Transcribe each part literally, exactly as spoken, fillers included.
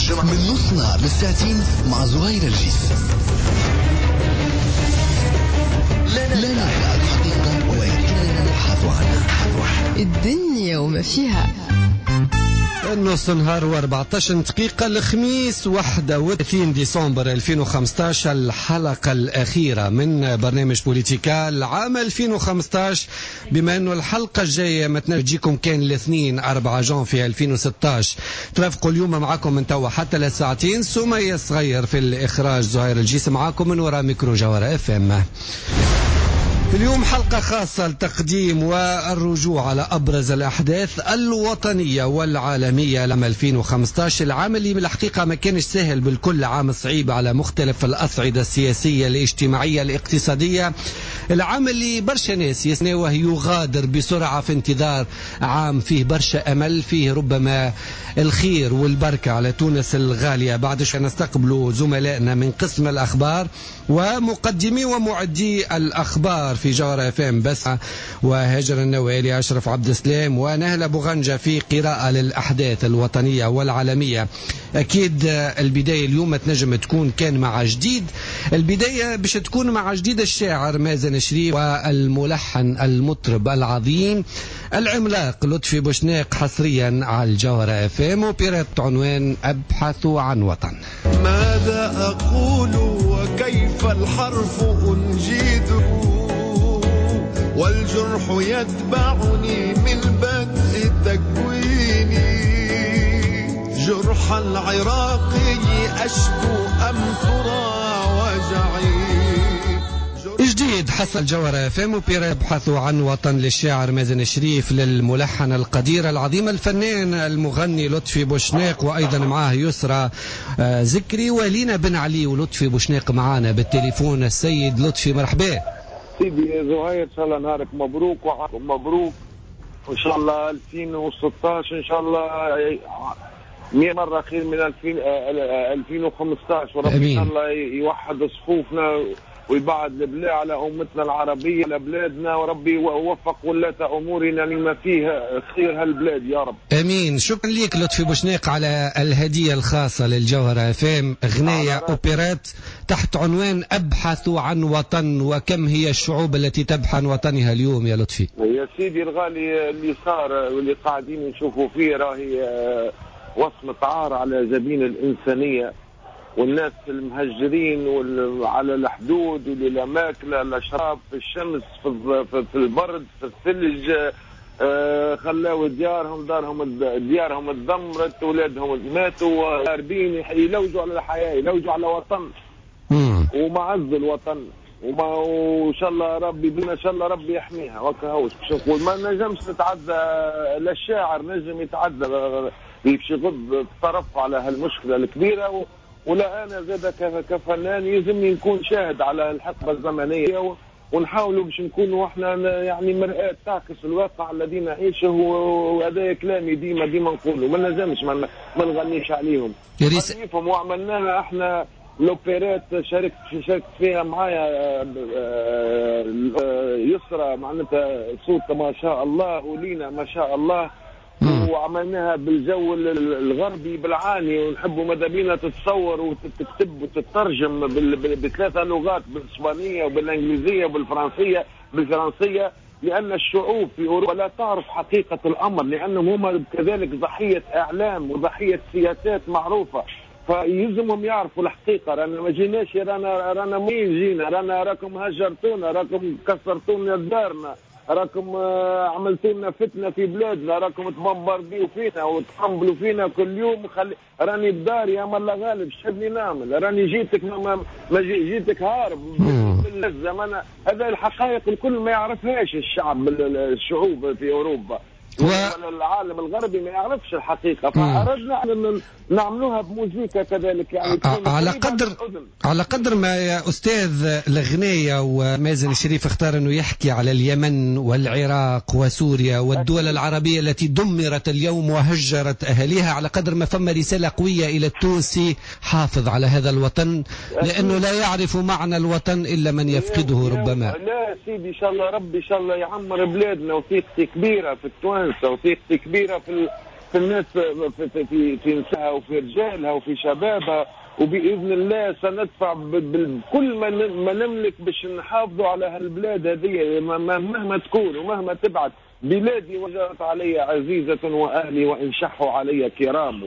الجمعة من نص نهار للساعتين مع زهير الجيس. لا نرى الحقيقة ولكننا نبحث عنها. الدنيا وما فيها. نص نهار وأربعة عشر دقيقة، الخميس واحد وثلاثين ديسمبر ألفين وخمسة عشر، الحلقة الأخيرة من برنامج بوليتيكا العام ألفين وخمسة عشر، بما أنه الحلقة الجاية ما تجيكم كان الاثنين أربعة جانفي ألفين وستة عشر. ترافقوا اليوم معكم من توا حتى للساعتين سمية الصغير في الإخراج، زهير الجيس معكم من وراء ميكرو جوهرة اف ام. اليوم حلقة خاصة لتقديم والرجوع على أبرز الأحداث الوطنية والعالمية لعام ألفين وخمسة عشر، العام اللي بالحقيقة ما كانش سهل بالكل، عام صعيب على مختلف الأصعدة السياسية، الاجتماعية، الاقتصادية، العام اللي برشا ناس يستناوه يغادر بسرعة في انتظار عام فيه برشا أمل، فيه ربما الخير والبركة على تونس الغالية. بعد شوي نستقبل زملائنا من قسم الأخبار ومقدمي ومعدي الأخبار في جوهرة اف ام، بس وهاجر النوالي، أشرف عبد السلام ونهلة بوغنجة في قراءة للأحداث الوطنية والعالمية. أكيد البداية اليوم تنجم تكون كان مع جديد، البداية باش تكون مع جديد الشاعر مازن شريف والملحن المطرب العظيم العملاق لطفي بوشناق، حصريا على الجوهرة اف ام، اوبريت عنوان أبحث عن وطن. ماذا أقول وكيف الحرف أنجده والجرح يتبعني من بدء تكويني، جرح العراقي أشكو أم ترى وجعي. جديد حصل جوهرة اف ام، اوبريت يبحث عن وطن للشاعر مازن شريف، للملحن القدير العظيم الفنان المغني لطفي بوشناق، وايضا معاه يسرى آه، زكري ولينا بن علي. ولطفي بوشناق معانا بالتليفون. السيد لطفي، مرحبا. سيدي زهير، ان شاء الله نهارك مبروك وعامكم مبروك، وان شاء الله ألفين وستة عشر ان شاء الله مية مرة خير من ألفين ألفين وخمسة عشر، وربي ان شاء الله يوحد صفوفنا ويبعد البلاء على امتنا العربيه، على بلادنا، وربي يوفق ولاة امورنا لما فيه خير هالبلاد يا رب. امين. شكرا لك لطفي بوشناق على الهدية الخاصة للجوهره اف ام، اغنية اوبريت تحت عنوان ابحث عن وطن، وكم هي الشعوب التي تبحث عن وطنها اليوم يا لطفي؟ يا سيدي الغالي، اللي صار واللي قاعدين نشوفوا فيه راهي آه، وصمة عار على جبين الإنسانية، والناس المهجرين على الحدود واللي لا ماكله لا شراب، في الشمس، في, في البرد، في الثلج، آه، خلاو ديارهم، دارهم، ديارهم تدمرت، اولادهم ماتوا، هاربين يلوجوا على الحياه، يلوجوا على وطن ومعز الوطن، وما وان شاء الله ربي بنا، ان شاء الله ربي يحميها وكهو. باش نقول ما نجمش نتعدى، لا الشاعر نجم يتعدى باش يغض الطرف على هالمشكلة الكبيره، ولا انا زاد كفنان يلزمني نكون شاهد على الحقبة الزمنيه، ونحاولوا باش نكونوا احنا يعني مرآة تعكس الواقع الذي نعيشه، وهذا كلامي ديما ديما نقوله، ما نجمش ما نغنيش عليهم. يفهم وعملناها احنا l'opérette، شاركت شاركت فيها معايا آه، آه، يسرى، معناتها صوت ما شاء الله ولينا ما شاء الله، وعملناها بالجو الغربي بالعاني، ونحبوا ماذا بينا تتصور وتكتب وتترجم بثلاثة لغات، بالاسبانية وبالانجليزيه وبالفرنسيه، بالفرنسيه، لان الشعوب في اوروبا لا تعرف حقيقة الامر، لانهم هم كذلك ضحية اعلام وضحية سياسات معروفه، فيلزمهم يعرفوا الحقيقه. رانا ما جيناش، رانا رانا مين جينا، رانا راكم هجرتونا، راكم كسرتونا دارنا، راكم آه، عملتوا لنا فتنة في بلادنا، راكم تبمبرديو فينا وتقنبلوا فينا كل يوم. خلي راني بداري، اما الله غالب، شحبني نعمل؟ راني جيتك ما, ما جيتك هارب بالزمن. هذا الحقائق الكل ما يعرفهاش الشعب، الشعوب في اوروبا و... العالم الغربي ما يعرفش الحقيقه، فاردنا ان نعملوها بموزيكا كذلك يعني. على قدر على قدر ما يا استاذ الغنايه ومازن الشريف اختار انه يحكي على اليمن والعراق وسوريا والدول العربية التي دمرت اليوم وهجرت اهاليها، على قدر ما فما رسالة قوية الى التونسي: حافظ على هذا الوطن، لانه لا يعرف معنى الوطن الا من يفقده ربما. لا سيدي، ان شاء الله ربي ان شاء الله يعمر بلادنا، وثيقتي كبيرة في التوانسه، وثيقتي كبيرة في في الناس في في في, في نسائها وفي رجالها وفي شبابها، وباذن الله سندفع بكل ما نملك باش نحافظوا على هالبلاد هذه مهما تكون ومهما تبعد. بلادي وجرت علي عزيزة وأهلي وإن شحوا علي كرام.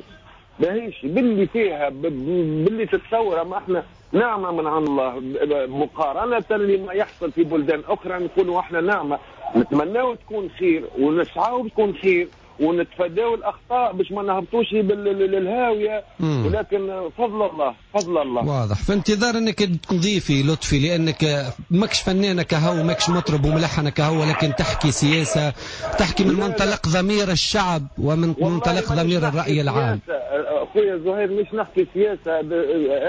ماهيش باللي فيها باللي تتصور، ما احنا نعمة من عند الله مقارنة لما يحصل في بلدان أخرى. نكونوا احنا نعمة، نتمناو تكون خير ونسعاو تكون خير ونتفاداو الأخطاء باش ما نهبطوش للهاوية، ولكن فضل الله فضل الله. واضح. في انتظار انك تضيفي لطفي، لانك ماكش فنانة كهو، ماكش مطرب وملحنة كهو، ولكن تحكي سياسة، تحكي من منطلق ضمير الشعب ومن منطلق ضمير الرأي العام. اخويا زهير مش نحكي سياسة،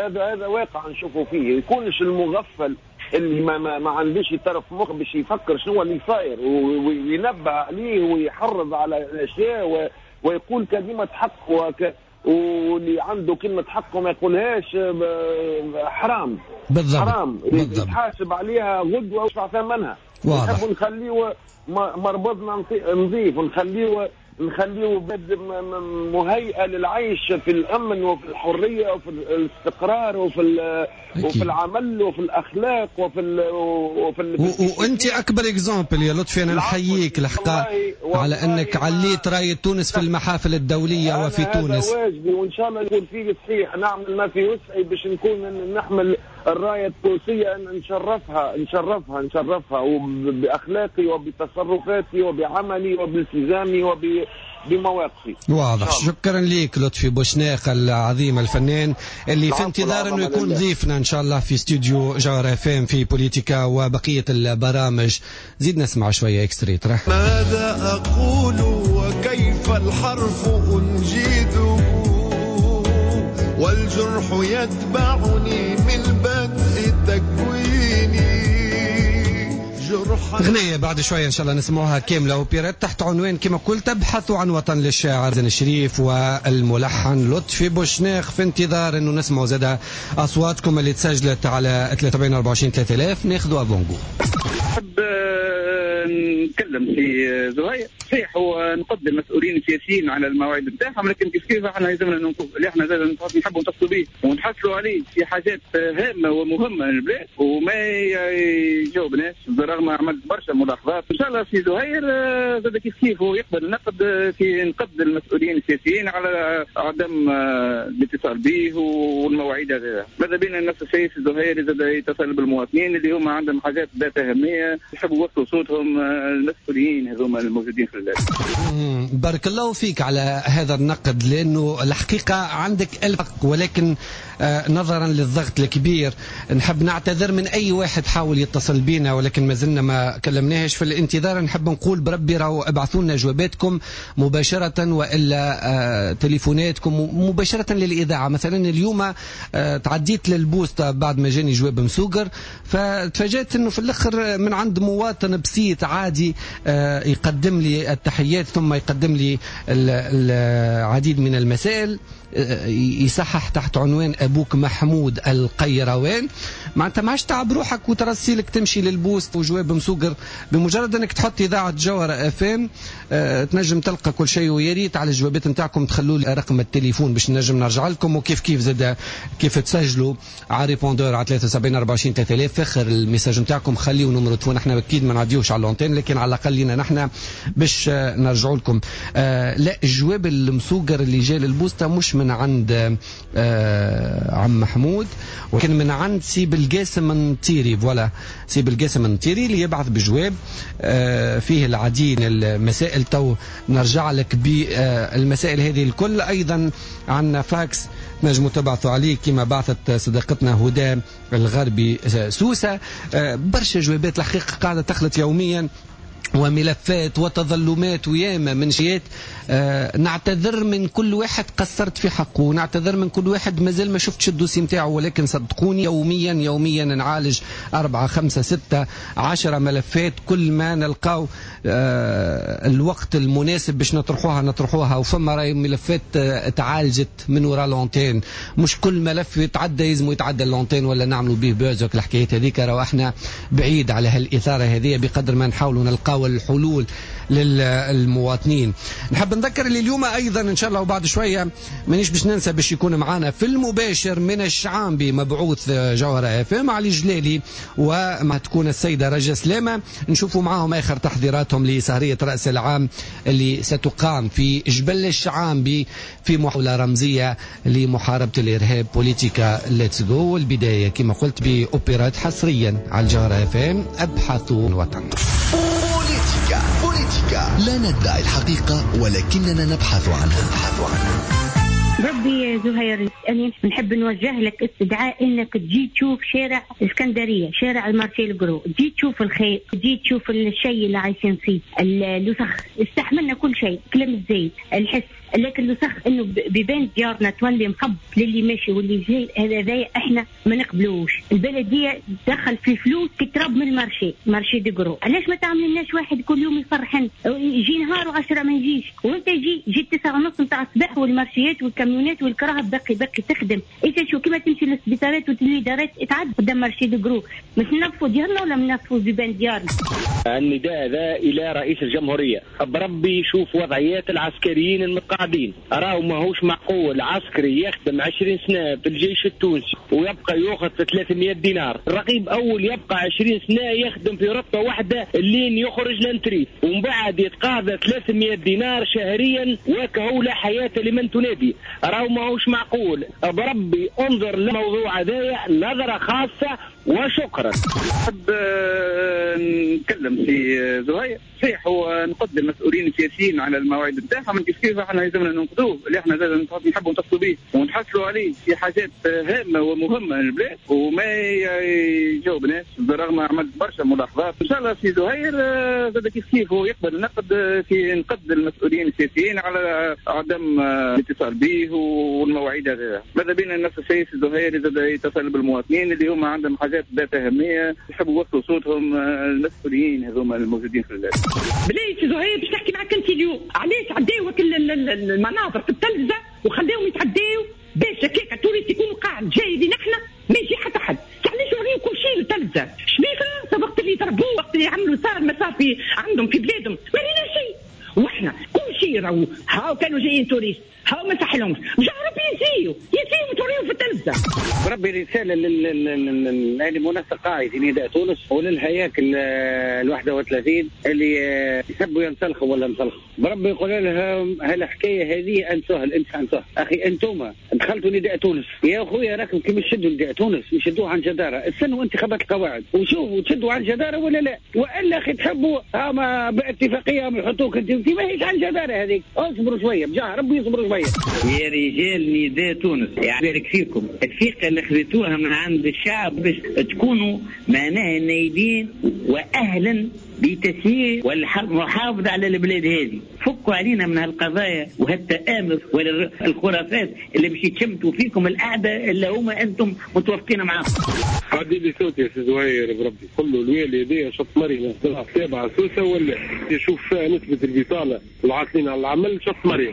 هذا هذا واقع نشوفه فيه. يكونش المغفل اللي ما ما, ما عندوش طرف مخ باش يفكر شنو اللي صاير وينبه عليه ويحرض على الاشياء ويقول كلمة حق، وك واللي عنده كلمة حق وما يقولهاش حرام. بالضبط. حرام يتحاسب عليها غدوه ويدفع ثمنها. نحب نخليه مربضنا نظيف، ونخليه نخليه بلد مهيئة للعيش في الأمن وفي الحرية وفي الاستقرار وفي وفي العمل وفي الأخلاق وفي ال وفي ال وأنت أكبر exemple يا لطفي، أنا نحييك الحقيقة على أنك عليت راية تونس في المحافل الدولية وفي تونس. هذا واجبي وإن شاء الله يكون فيه صحيح، نعمل ما في وسعي باش نكون نحمل الراية التونسية، نشرفها نشرفها نشرفها وبأخلاقي وبتصرفاتي وبعملي وبالتزامي وب بمواقفي. واضح. شكرا لك لطفي بوشناق العظيم الفنان اللي في انتظار انه يكون ضيفنا ان شاء الله في استوديو جوهرة اف ام في بوليتيكا وبقية البرامج. زيد نسمع شوية extrait. ترى ماذا اقول وكيف الحرف انجده والجرح يتبعني من بدء تكويني. غنية بعد شوية إن شاء الله نسمعوها كاملة وبيرات تحت عنوان كما قلت تبحث عن وطن للشاعر زين الشريف والملحن لطفي بوشناق. في انتظار أنه نسمعوا زادة أصواتكم اللي تسجلت على ثلاثة وسبعين أربعة وعشرين ثلاثة آلاف. ناخذوا avant-goût. نحب نتكلم في زهير، صحيح هو نقد المسؤولين السياسيين على المواعيد نتاعهم، لكن كيف كيف احنا لازمنا نقف اللي احنا لازم نحبوا نتصلوا به ونحصلوا عليه في حاجات هامة ومهمة للبلاد وما يجاوبناش برغم عملت برشا ملاحظات. ان شاء الله في زهير زاد كيف كيف هو يقبل النقد في نقد المسؤولين السياسيين على عدم الاتصال به والمواعيد هذه. ماذا بينا نفس الشيء في زهير زاد يتصل بالمواطنين اللي هما عندهم حاجات ذات اهمية يحبوا يوصلوا صوتهم المسؤولين هذوما الموجودين في البلاد. بارك الله فيك على هذا النقد، لأنه الحقيقة عندك ألف حق، ولكن نظرا للضغط الكبير نحب نعتذر من أي واحد حاول يتصل بينا ولكن ما زلنا ما كلمناهش. في الانتظار نحب نقول بربي راهو ابعثوا لنا جواباتكم مباشرة وإلا تليفوناتكم مباشرة للإذاعة. مثلا اليوم تعديت للبوسطة بعد ما جاني جواب مسوقر، فتفاجأت أنه في الآخر من عند مواطن بسيط عادي يقدم لي التحيات ثم يقدم لي العديد من المسائل، يصحح تحت عنوان أبوك محمود القيروان. معناتها ما عادش تعب روحك وترسيلك تمشي للبوست وجواب مسوقر، بمجرد انك تحط اذاعة جوهره اف ام أه تنجم تلقى كل شيء. ويا ريت على الجوابات نتاعكم تخلوا لي رقم التليفون باش نجم نرجع لكم، وكيف كيف زاد كيف تسجلوا على répondeur على ثلاثة وسبعين أربعة وعشرين ثلاثة آلاف. فخر ال message نتاعكم خليوا numéro تليفون، احنا اكيد ما نعديوش على l'antenne لكن على الاقل لينا نحن باش نرجعوا لكم. أه لا الجواب المسوقر اللي جاي للبوسته مش من عند آه عم محمود، ولكن من عند سي بالقاسم النطيري. voilà سي بالقاسم النطيري اللي يبعث بجواب آه فيه العديد من المسائل. تو نرجع لك بالمسائل هذه الكل. أيضا عندنا فاكس نجموا تبعثوا عليه كما بعثت صديقتنا هدى الغربي سوسة. آه برشا جوابات الحقيقة قاعدة تخلط يوميا وملفات وتظلمات وياما من شيات. آه نعتذر من كل واحد قصرت في حقه، ونعتذر من كل واحد مازال ما شفتش ال dossier نتاعو، ولكن صدقوني يوميا يوميا نعالج أربعة خمسة ستة عشرة ملفات. كل ما نلقاو آه الوقت المناسب باش نطرحوها نطرحوها. وفما راي ملفات آه تعالجت من وراء l'antenne، مش كل ملف يتعدى يلزم يتعدى l'antenne ولا نعملوا به buzz الحكايات هذيك. راهو احنا بعيد على هالإثارة هذه بقدر ما نحاولوا نلقاو نلقاو الحلول للمواطنين. نحب نذكر اللي اليوم ايضا ان شاء الله وبعد شوية مانيش باش ننسى باش يكون معنا في المباشر من الشعانبي مبعوث جوهرة اف ام علي جلالي، ومع تكون السيدة رجا سلامه، نشوفوا معاهم اخر تحضيراتهم لسهريه راس العام اللي ستقام في جبل الشعانبي في محاولة رمزية لمحاربة الارهاب. بوليتيكا let's go، والبداية كما قلت باوبرات حصريا على الجوهرة اف ام ابحث الوطن. بوليتيكا بوليتيكا لا ندعي الحقيقة ولكننا نبحث عنها. نبحث عنها. ربي زهير، أنا نحب نوجه لك استدعاء انك تجي تشوف شارع اسكندرية، شارع ال marché de gros، تجي تشوف الخير، تجي تشوف الشيء اللي عايشين فيه، الوسخ، استحملنا كل شيء، كلام الزيت، الحس، لكن الوسخ انه بيبان ديارنا تولي مخب للي ماشي واللي جاي، هذا ذا احنا ما نقبلوش. البلدية دخل في فلوس كترب من ال marché، marché de gros، علاش ما تعملناش واحد كل يوم يفرحن، يجي نهار وعشرة ما يجيش، وانت يجي جي تسعة ونص نتاع الصباح والمارشيات والكاميونات والكراهب باقي باقي تخدم، انت شو كيما تمشي للسبيطارات والادارات تعد قدام marché de gros، مش ننظفوا ديارنا ولا ننظفوا بيبان ديارنا. النداء هذا الى رئيس الجمهورية، بربي يشوف وضعيات العسكريين المتقاعدين، راهو ماهوش معقول عسكري يخدم عشرين سنة في الجيش التونسي ويبقى ياخذ في ثلاثمية دينار، الرقيب اول يبقى عشرين سنة يخدم في رتبه واحدة لين يخرج l'retraite ومن بعد يتقاضى ثلاثمية دينار شهريا وكهو لا حياة لمن تنادي، راهو ماهوش معقول. بربي انظر للموضوع هذايا نظره خاصة وشكرا. نحب نتكلم في زهير، صحيح هو نقد المسؤولين السياسيين على المواعيد نتاعهم، كيف كيف احنا لازمنا ننقدوه، اللي احنا لازم نحبوا نتصلوا به ونحصلوا عليه في حاجات هامة ومهمة للبلاد وما يجاوبناش، بالرغم عملت برشا ملاحظات. ان شاء الله في زهير زاد كيف كيف هو يقبل النقد في نقد المسؤولين السياسيين على عدم الاتصال به والمواعيد هذه. ماذا بينا نفس الشيء في زهير زاد يتصل بالمواطنين اللي هما عندهم حاجات ذات اهمية يحبوا يوصلوا صوتهم المسؤولين هذوما الموجودين في البلاد. بلاي سي زهير باش نحكي معاك انت اليوم، علاش عداو المناظر في التلفزة وخلاهم يتعداو باش هكاك ال touriste يكون قاعد جاي لينا احنا ما يجي حتى حد، علاش يوريو كل شيء للتلفزه؟ شبيه فرنسا وقت اللي ضربوه وقت اللي عملوا صار ما صار في عندهم في بلادهم ما رينا شيء، واحنا كل شيء راهو هاو كانوا جايين touristes هاو ما صحلهمش، مش ربي يزيو يزيو توريو في التلفزة. بربي رسالة للمنسق قاعد في نداء تونس وللهياكل ال واحد وثلاثين اللي يحبوا ينسلخوا ولا نسلخوا، بربي يقول لهم هالحكايه هذه انسوها الانسان انسوها، اخي انتم دخلتوا نداء تونس يا خويا، راكم كي مش تشدوا نداء تونس يشدوه عن جداره، استنوا انتخابات القواعد وشوفوا تشدوا عن جداره ولا لا، والا اخي تحبوا هما باتفاقيه يحطوك انت ماهيش عن جداره هذيك، اصبروا شوية بجاه ربي يصبروا شوية. يا رجال نداء تونس يبارك فيكم، الثقة اللي خذيتوها من عند الشعب باش تكونوا معناها نايبين واهلا بتسيير والمحافظة على البلاد هذه، فكوا علينا من هالقضايا وهالتآمر والخرافات اللي باش يتشمتوا فيكم الأعداء اللي هما أنتم متوافقين معاهم. عدي لي صوتي يا سي زهير بربي، قل له الوالي هذايا شط مريم تابعة سوسة ولا يشوف فيها نسبة البطالة العاطلين على العمل شط مريم.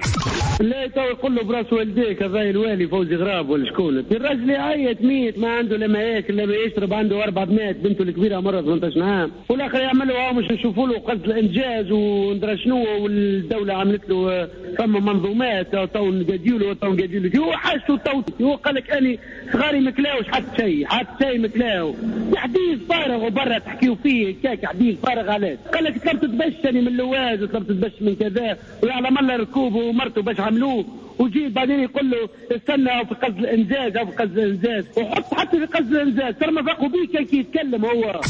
لا تو يقول له براس والديك هذا الوالي فوزي غراب ولا شكون، الراجل يعيط ميت ما عنده لا ما ياكل لا ما يشرب، عنده اربع بنات بنته الكبيرة مرة ثمنطاش عام، والاخر يعمل له مش نشوفوا له قصد الانجاز وندرى شنو، والدولة عملت له فما منظومات تو نقاديو له تو نقاديو له، هو حاجته تو هو قال لك اني صغاري ما كلاوش حتى شيء حتى شيء ما كلاو، حديث فارغ وبرا تحكيو فيه كاك حديث فارغ. علاش؟ قال لك طلبت تبشني من اللواز وطلبت تبش من كذا ويعلم الله ركوبه ومرته باش عملوه، وجيت بعدين يقول له استنى في قصد الانجاز او في قصد الانجاز، وحط حتى في قصد الانجاز ترى ما فاقوا بيه كان كي يتكلم هو.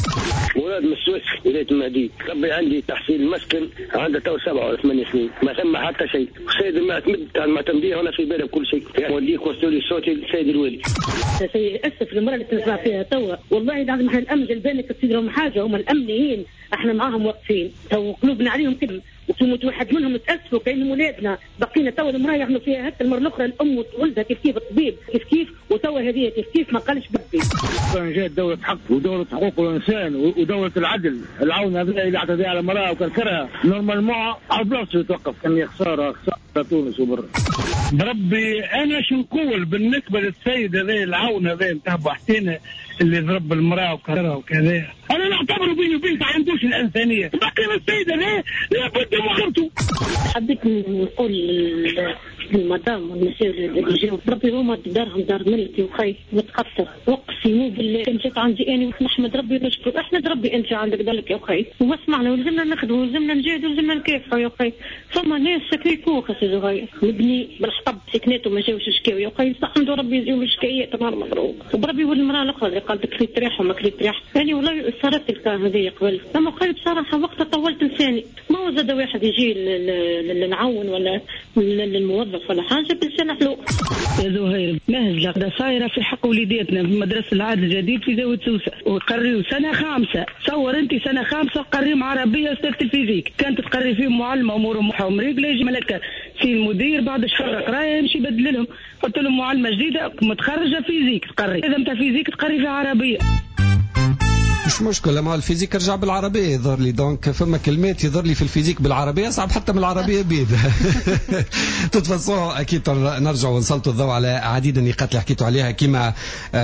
مراد من السويس ولاية المهدي، ربي عندي تحصيل مسكن عنده تو سبعة ولا ثمانية سنين ما ثم حتى شيء، السيد المعتمد تاع المعتمدية هنا في بالي بكل شيء، وليك وصلوا لي صوتي السيد الوالي. شيء اسف المرة اللي تنسمع فيها توا، والله العظيم احنا الامن جلبانك تصير لهم حاجة، هم الامنيين احنا معاهم واقفين تو قلوبنا عليهم كده، وتموت واحد منهم تأسفوا كأنهم ولادنا، بقينا توا المرأة يعملوا فيها هكا، المرة الأخرى الأم وولدها كيف كيف، الطبيب كيف كيف، وتوا هذه كيف كيف ما قالش بدي. كان جات دولة حق ودولة حقوق الإنسان ودولة العدل، العون هذا اللي اعتدى على المرأة وكركرها normalement على بلاصته يتوقف، كان خسارة خسارة تونس وبر. بربي أنا شو نقول بالنسبة للسيد هذا العون هذا نتاع بوحسينة اللي ضرب المرأة وكرها وكذا، أنا نعتبره بيني وبينك ما عندوش الانسانية. باقي السيد هذا لابد معارضته. حبيت نقول للمدام والمسؤول اللي جاوا ربي هما دارهم دار ملكي وخي متقصر وقسموا بالله كان جات عندي انا ونحمد ربي ونشكر احمد ربي انت عندك ذلك يا اخي واسمعنا ولزمنا نخدموا ولزمنا نجاهدوا ولزمنا نكافحوا يا اخي. ثم ناس ساكنين فوق سي زهير مبني بالحطب سكنات وما جاوش شكاو يا اخي حمدوا ربي يجيو الشكايات نهار مبروك. وبربي والمراة الاخرى اللي قالت كريت ريح وما كريت ريح يعني والله صارت الكا هذه قبل اما قال بصراحة وقتها طولت لساني ما هو زاد واحد يجي للعون ولا للموظف ولا حاجة بلسان حلو. يا زهير مهزله صايرة في حق وليداتنا في مدرسه العهد الجديد في زاوية سوسة وقريوا سنة خامسة. تصور انت سنة خامسة قريهم عربية استاذه ال physique كانت تقري فيهم معلمه امورهم مريقله يجي ملكه سي المدير بعد شهر قرايه يمشي يبدل لهم حط لهم معلمه جديدة متخرجة physique تقري اذا نتاع physique تقري في عربية. مش مشكلة ما ال physique رجع بالعربية يظهر لي donc فما كلمات يظهر لي في ال physique بالعربية صعب حتى من العربية بيد. تتفصلوا أكيد نرجع ونسلطوا الضوء على عديد النقاط اللي حكيتوا عليها كما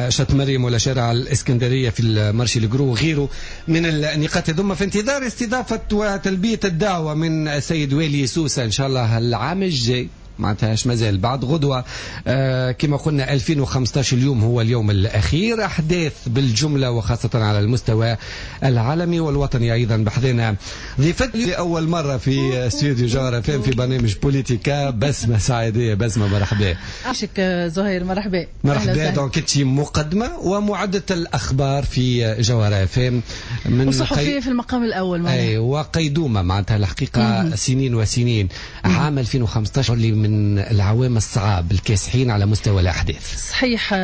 شط مريم ولا شارع الإسكندرية في ال marché le gros وغيره من النقاط هذوما. في انتظار استضافة وتلبية الدعوة من السيد والي سوسة إن شاء الله العام الجاي معناتهاش مازال بعد غدوة آه كما قلنا ألفين وخمسة عشر اليوم هو اليوم الأخير. أحداث بالجملة وخاصة على المستوى العالمي والوطني أيضا. بحذنا ضيفتي لأول مرة في استوديو جوهرة فام في برنامج بوليتيكا بسمة سعيدية. بسمة مرحبا. عاشك زهير مرحبا. مرحبا. donc انت مقدمة ومعدة الأخبار في جوهرة فام من وصحفية قي... في المقام الأول. أي وقيدومة معناتها الحقيقة مم. سنين وسنين. عام ألفين وخمسة عشر اللي من من العوام الصعاب الكاسحين على مستوى الأحداث. صحيح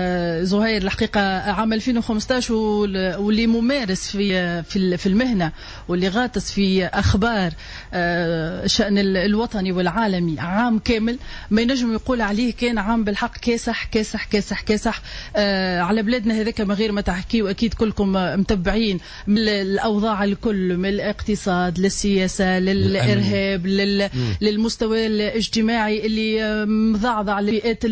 زهير الحقيقة عام ألفين وخمسة عشر واللي ممارس في في المهنة واللي غاطس في أخبار الشأن الوطني والعالمي عام كامل ما ينجم يقول عليه كان عام بالحق كاسح كاسح كاسح كاسح على بلادنا هذاك من غير ما تحكي. وأكيد كلكم متبعين من الأوضاع الكل من الاقتصاد للسياسة للإرهاب لل... للمستوى الاجتماعي اللي مضعضع الفئات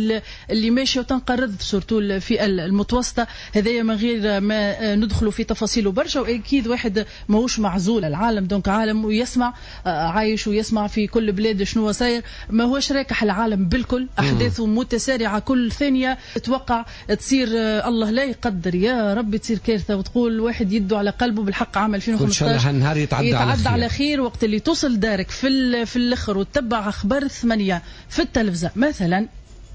اللي ماشية وتنقرض surtout الفئة المتوسطة. هذايا من غير ما ندخلوا في تفاصيله برشا واكيد واحد ماهوش معزول العالم donc عالم ويسمع عايش ويسمع في كل بلاد شنو صاير. ما هوش راكح العالم بالكل احداثه متسارعة كل ثانية تتوقع تصير الله لا يقدر يا ربي تصير كارثة وتقول واحد يده على قلبه. بالحق عام ألفين وخمسة عشر النهار يتعدى, يتعدى على خير. على خير وقت اللي توصل دارك في في الاخر وتتبع اخبار ثمانية في التلفزة مثلا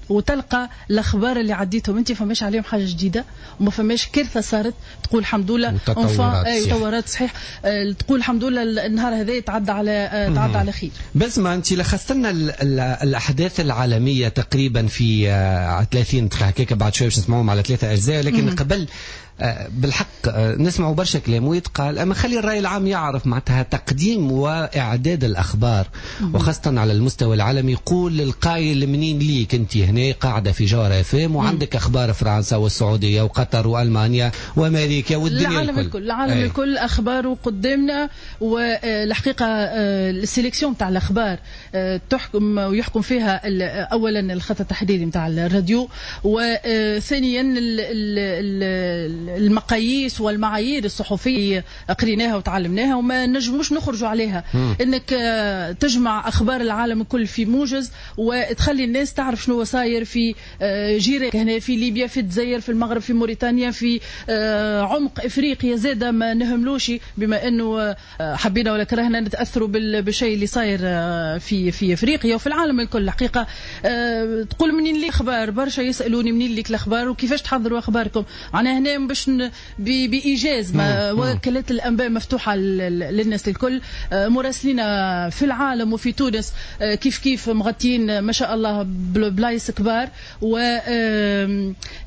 وتلقى الاخبار اللي عديتهم انت فماش عليهم حاجة جديدة وما فماش كارثة صارت تقول الحمد لله تطورات صحيح تقول الحمد لله النهار هذا يتعدى على تعدى على خير. بس ما انت لخصت لنا الاحداث العالمية تقريبا في ثلاثين دقيقة هكاك بعد شوية باش نسمعوهم على ثلاثة اجزاء لكن قبل بالحق نسمعوا برشا كلام ويتقال اما خلي الراي العام يعرف معناتها تقديم واعداد الاخبار وخاصة على المستوى العالمي. قول للقايل منين ليك انت هنا قاعدة في جوهرة فام وعندك اخبار فرنسا والسعودية وقطر والمانيا وامريكا والدنيا العالم الكل العالم أي. الكل اخباره قدامنا. والحقيقة ال sélection تاع الاخبار تحكم ويحكم فيها اولا الخط التحريري نتاع الراديو وثانيا المقاييس والمعايير الصحفية قريناها وتعلمناها وما نجموش نخرجوا عليها. مم. انك تجمع اخبار العالم الكل في موجز وتخلي الناس تعرف شنو صاير في جيرانك هنا في ليبيا في الجزائر في المغرب في موريتانيا في عمق افريقيا زاده ما نهملوش بما انه حبينا ولا كرهنا نتاثروا بالشيء اللي صاير في في افريقيا وفي العالم الكل. الحقيقة تقول منين لي اخبار برشا يسالوني منين لك الاخبار وكيفاش تحضروا اخباركم. انا هنا باش بإيجاز ما وكالات الأنباء مفتوحة للناس الكل مراسلين في العالم وفي تونس كيف كيف مغطين ما شاء الله بلايص كبار.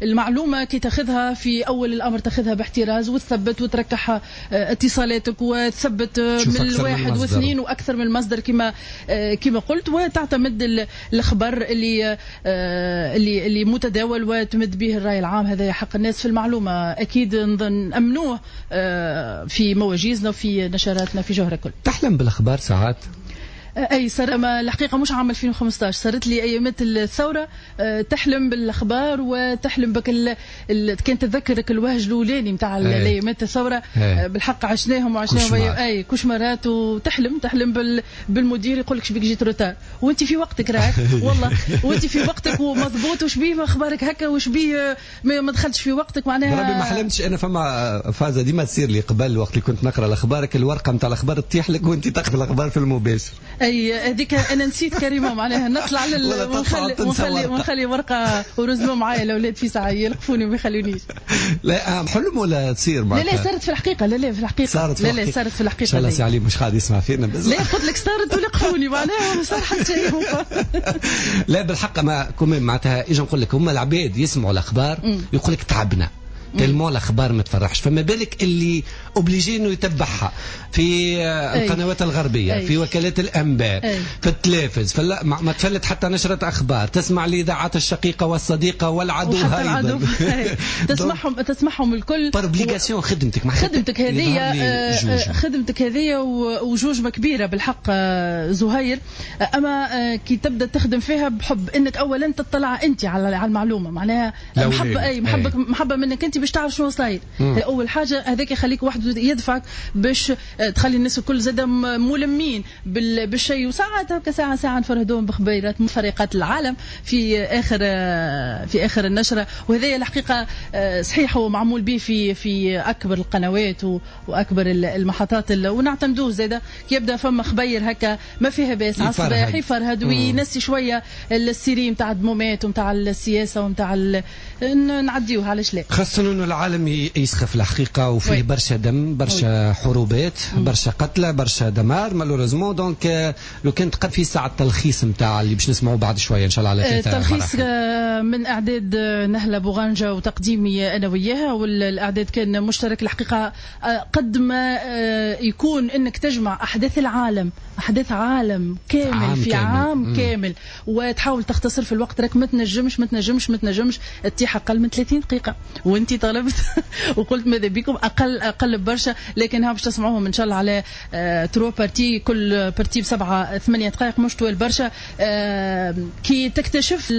والمعلومة كي تاخذها في أول الأمر تاخذها باحتراز وتثبت وتركح اتصالاتك وتثبت من الواحد واثنين وأكثر من المصدر كما كما قلت وتعتمد الخبر اللي اللي اللي متداول وتمد به الرأي العام. هذا حق الناس في المعلومة أكيد نأمنوه في مواجيزنا وفي نشراتنا في جوهرة كل. تحلم بالأخبار ساعات؟ اي صار، ما الحقيقة مش عام ألفين وخمسطاش، صارت لي ايامات الثورة. تحلم بالاخبار وتحلم بك ال... ال... كان تتذكرك الوهج الاولاني نتاع الايامات الثورة. أي. بالحق عشناهم وعشناهم اي cauchemar ات، وتحلم تحلم بال... بالمدير يقول لك شبيك جيت retard وانت في وقتك راك والله وانت في وقتك ومضبوط، وشبيه اخبارك هكا وشبيه ما دخلتش في وقتك معناها. ربي ما حلمتش انا. فما فازة ديما تصير لي قبل وقت اللي كنت نقرا الاخبار، الورقة نتاع الاخبار تطيح لك وانت تقرا الاخبار في المباشر. اي هذيك انا نسيت كريمة معناها نطلع لل ونخلي ونخلي ونخلي ورقة ورزمه معايا الاولاد في ساعة يلقفوني وما يخلونيش. لا حلم ولا تصير معناتها؟ لا لا صارت في الحقيقة. لا لا في الحقيقة صارت. لا لا صارت في الحقيقة. ان شاء الله سي علي مش قاعد يسمع فينا بس. لا قلت لك صارت ولقفوني معناها ما صار حتى شيء. لا بالحق ما كمان معناتها اجي نقول لك هما العباد يسمعوا الاخبار يقول لك تعبنا tellement الاخبار ما تفرحش، فما بالك اللي obligé انه يتبعها في القنوات الغربية. أي. في وكالات الانباء. أي. في التلفز، فلا ما تفلت حتى نشره اخبار، تسمع الاذاعات الشقيقة والصديقه والعدو ايضا. تسمعهم تسمعهم الكل par obligation. خدمتك مع خدمتك هذه، خدمتك هذه وجوجمه كبيرة بالحق زهير. اما كي تبدا تخدم فيها بحب انك اولا تطلع انت على المعلومة معناها محبة. اي محبة محبة منك انت باش تعرف شنو صاير. اول حاجة هذاك يخليك واحد يدفعك باش تخلي الناس الكل زاد ملمين بالشيء. وساعات هكا ساعة ساعة نفرهدوهم بخبيرات مفرقات العالم في اخر في اخر النشرة. وهذا الحقيقة صحيح هو معمول به في في اكبر القنوات واكبر المحطات، ونعتمدوه زاد كي يبدا فما خبير هكا ما فيها باس على الصباح يفرهد وينسي شوية ال série نتاع الدمومات ونتاع السياسة ونتاع ال... نعديوها علاش لا. خاصة انه العالم يسخف الحقيقة وفيه برشا دم، برشا حروبات، برشا قتلى، برشا دمار malheureusement. donc لو كان تقد في ساعة التلخيص نتاع اللي باش نسمعوه بعد شوية ان شاء الله على ثلاثة. التلخيص من اعداد نهله بوغانجا وتقديمي انا وياها، والاعداد كان مشترك الحقيقة. قد ما يكون انك تجمع احداث العالم، احداث عالم كامل عام في كامل. عام كامل وتحاول تختصر في الوقت، راك ما تنجمش ما تنجمش ما تنجمش تتيح اقل من ثلاثين دقيقة، وانت طلبت وقلت ماذا بكم اقل اقل برشا، لكن ها باش تسمعوهم ان شاء الله على آه trois parties، كل partie بسبعة ثمانية دقائق مش طويل برشا. آه كي تكتشف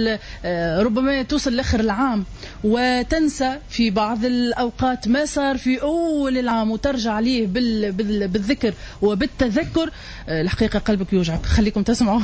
آه ربما توصل لاخر العام وتنسى في بعض الاوقات ما صار في اول العام وترجع ليه بال بال بالذكر وبالتذكر، آه الحقيقة قلبك يوجعك. خليكم تسمعوا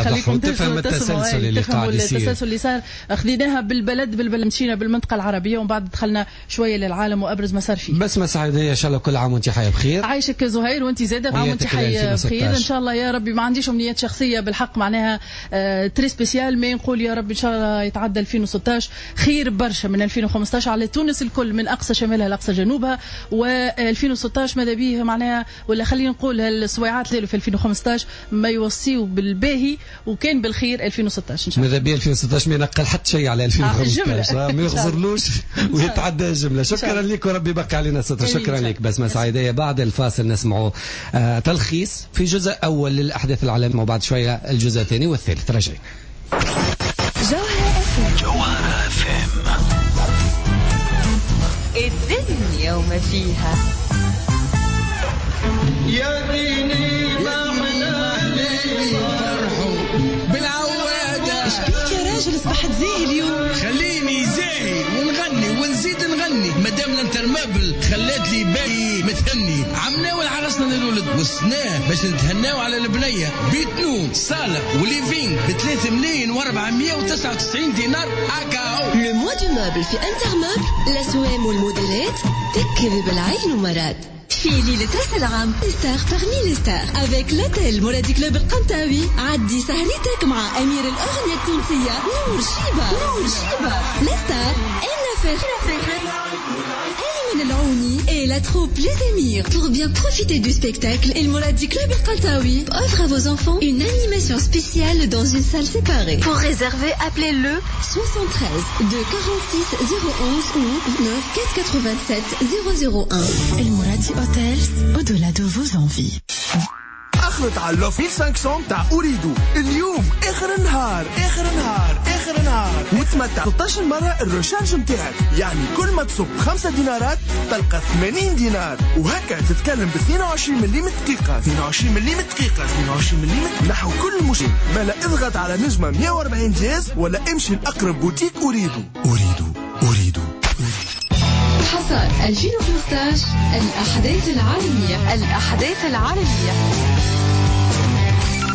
خليكم تفهم التسلسل اللي قاعد يصير، التسلسل اللي صار. خذيناها بالبلد بالبلد، مشينا بالمنطقة العربية ومن بعد دخلنا شوية للعالم وابرز ما صار فيه. بسمة سعيدية ان شاء الله كل عام وانت حيه بخير. عايشك زهير وانت زاده عام وانت حيه بخير ان شاء الله يا ربي. ما عنديش امنيات شخصية بالحق معناها آه très spéciales، mais نقول يا ربي ان شاء الله يتعدى ألفين وستطاش خير برشا من ألفين وخمسطاش على تونس الكل من اقصى شمالها لاقصى جنوبها. وألفين وستطاش ماذا بيه معناها، ولا خلينا نقول السويعات اللي في ألفين وخمسطاش ما يوصيوا بالباهي وكان بالخير ألفين وستطاش ان شاء الله. ماذا بيه ألفين وستطاش ما ينقل حتى شيء على ألفين وخمسطاش، ما يغزرلوش ويتعدى الجملة. شكرا لك وربي يبقى علينا ستر. شكرا لك بسمة سعيدية. بعد الفاصل نسمعوا آه تلخيص في جزء اول للاحداث العالمية وبعد شوية الجزء الثاني والثالث. راجعين. جوهرة اف جوهرة اف ام، الدنيا وما فيها. يا ديني ما فرحوا بالعوادة. شبيك يا راجل صبحت زاهي اليوم؟ خليني زاهي ونغني ونزيد نغني مادام ال Intermeuble خلات لي بالي متهني. عمناول عرسنا للولد والسنة باش نتهناو على البنية، بيت نوم صالة و living ب ثلاثة ملايين وأربعمية وتسعة وتسعين دينار أكاو. le mois du meuble في Intermeuble، الأسوام والموديلات تكذب العين ومراد. في ليلة راس العام star parmi les stars avec l'hôtel Mouradi Club القنطاوي، عدي سهرتك مع أمير الأغنية التونسية نور شيبة. نور شيبة la star أنا فاخر أيمن العوني et la troupe Les Émirs. Pour bien profiter du spectacle, El Mouradi Club El Kantaoui offre à vos enfants une animation spéciale dans une salle séparée. Pour réserver, appelez le soixante-treize deux quarante-six zéro onze ou neuf quatre quatre-vingt-sept zéro zéro un. El Mouradi Hotels, au-delà de vos envies. اخلط على l'offre ألف وخمسمية تاع Ooredoo اليوم اخر النهار اخر النهار اخر آخر نهار، وتمتع ستة عشر مرة ال recharge نتاعك، يعني كل ما تصب خمسة دينارات تلقى ثمانين دينار، وهكا تتكلم ب اثنين وعشرين مليم دقيقة، اثنين وعشرين مليم دقيقة، اثنين وعشرين مليم نحو كل مشكل. ما لا اضغط على نجمة مئة وأربعين dièse ولا امشي لأقرب بوتيك أريدو. أريدو أريدو حصاد ألفين وخمسة عشر، الأحداث العالمية، الأحداث العالمية.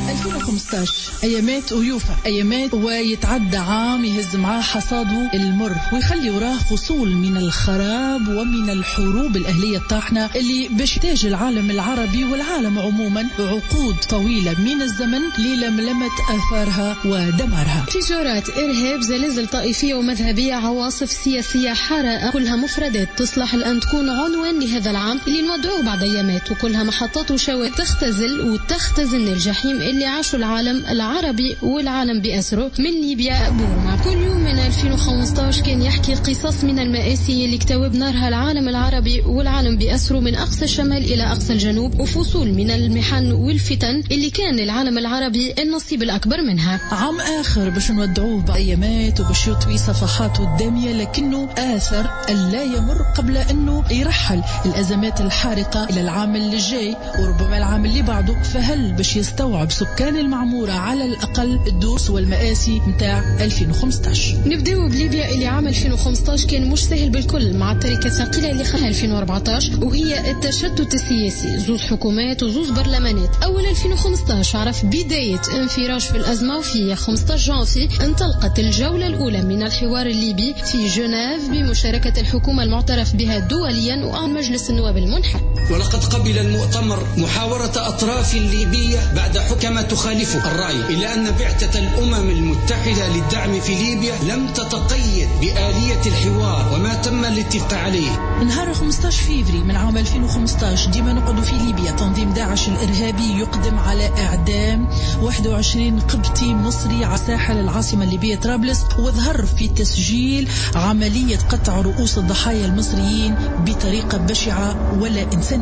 ألفين وخمسة عشر أيامات ويوفى أيامات، ويتعدى عام يهز معاه حصاده المر ويخلي وراه فصول من الخراب ومن الحروب الأهلية الطاحنة اللي باش تاج العالم العربي والعالم عموما عقود طويلة من الزمن للملمة آثارها ودمارها. تجارات، إرهاب، زلازل طائفية ومذهبية، عواصف سياسية، حرائق، كلها مفردات تصلح الآن تكون عنوان لهذا العام اللي نودعوه بعد أيامات، وكلها محطات وشوائب تختزل وتختزن الجحيم اللي عاشوا العالم العربي والعالم بأسره من ليبيا بورما. كل يوم من ألفين وخمسة عشر كان يحكي قصص من المآسي اللي اكتوى نارها العالم العربي والعالم بأسره من أقصى الشمال إلى أقصى الجنوب، وفصول من المحن والفتن اللي كان العالم العربي النصيب الأكبر منها. عام آخر باش نودعوه بأيامات وباش يطوي صفحاته الدامية، لكنه آثر ألا يمر قبل أنه يرحل الأزمات الحارقة إلى العام اللي جاي وربما العام اللي بعده. فهل باش يستوعب سكان المعمورة على الأقل الدروس والمآسي متاع ألفين وخمسة عشر؟ نبداو بليبيا اللي عام ألفين وخمسة عشر كان مش سهل بالكل مع التركة الثقيلة اللي خلها ألفين وأربعة عشر، وهي التشتت السياسي، زوز حكومات وزوز برلمانات. أول ألفين وخمسة عشر عرف بداية انفراج في الأزمة، وفي خمسة عشر جانفي انطلقت الجولة الأولى من الحوار الليبي في جنيف بمشاركة الحكومة المعترف بها دوليا ومجلس النواب المنحل. ولقد قبل المؤتمر محاورة أطراف ليبية بعد حكم تخالفه الرأي، إلا أن بعثة الأمم المتحدة للدعم في ليبيا لم تتقيد بآلية الحوار وما تم الاتفاق عليه. نهار خمسة عشر فيفري من عام ألفين وخمسة عشر ديما نقعدوا في ليبيا، تنظيم داعش الإرهابي يقدم على إعدام واحد وعشرين قبطي مصري على ساحل العاصمة الليبية طرابلس، وظهر في تسجيل عملية قطع رؤوس الضحايا المصريين بطريقة بشعة ولا إنسانية.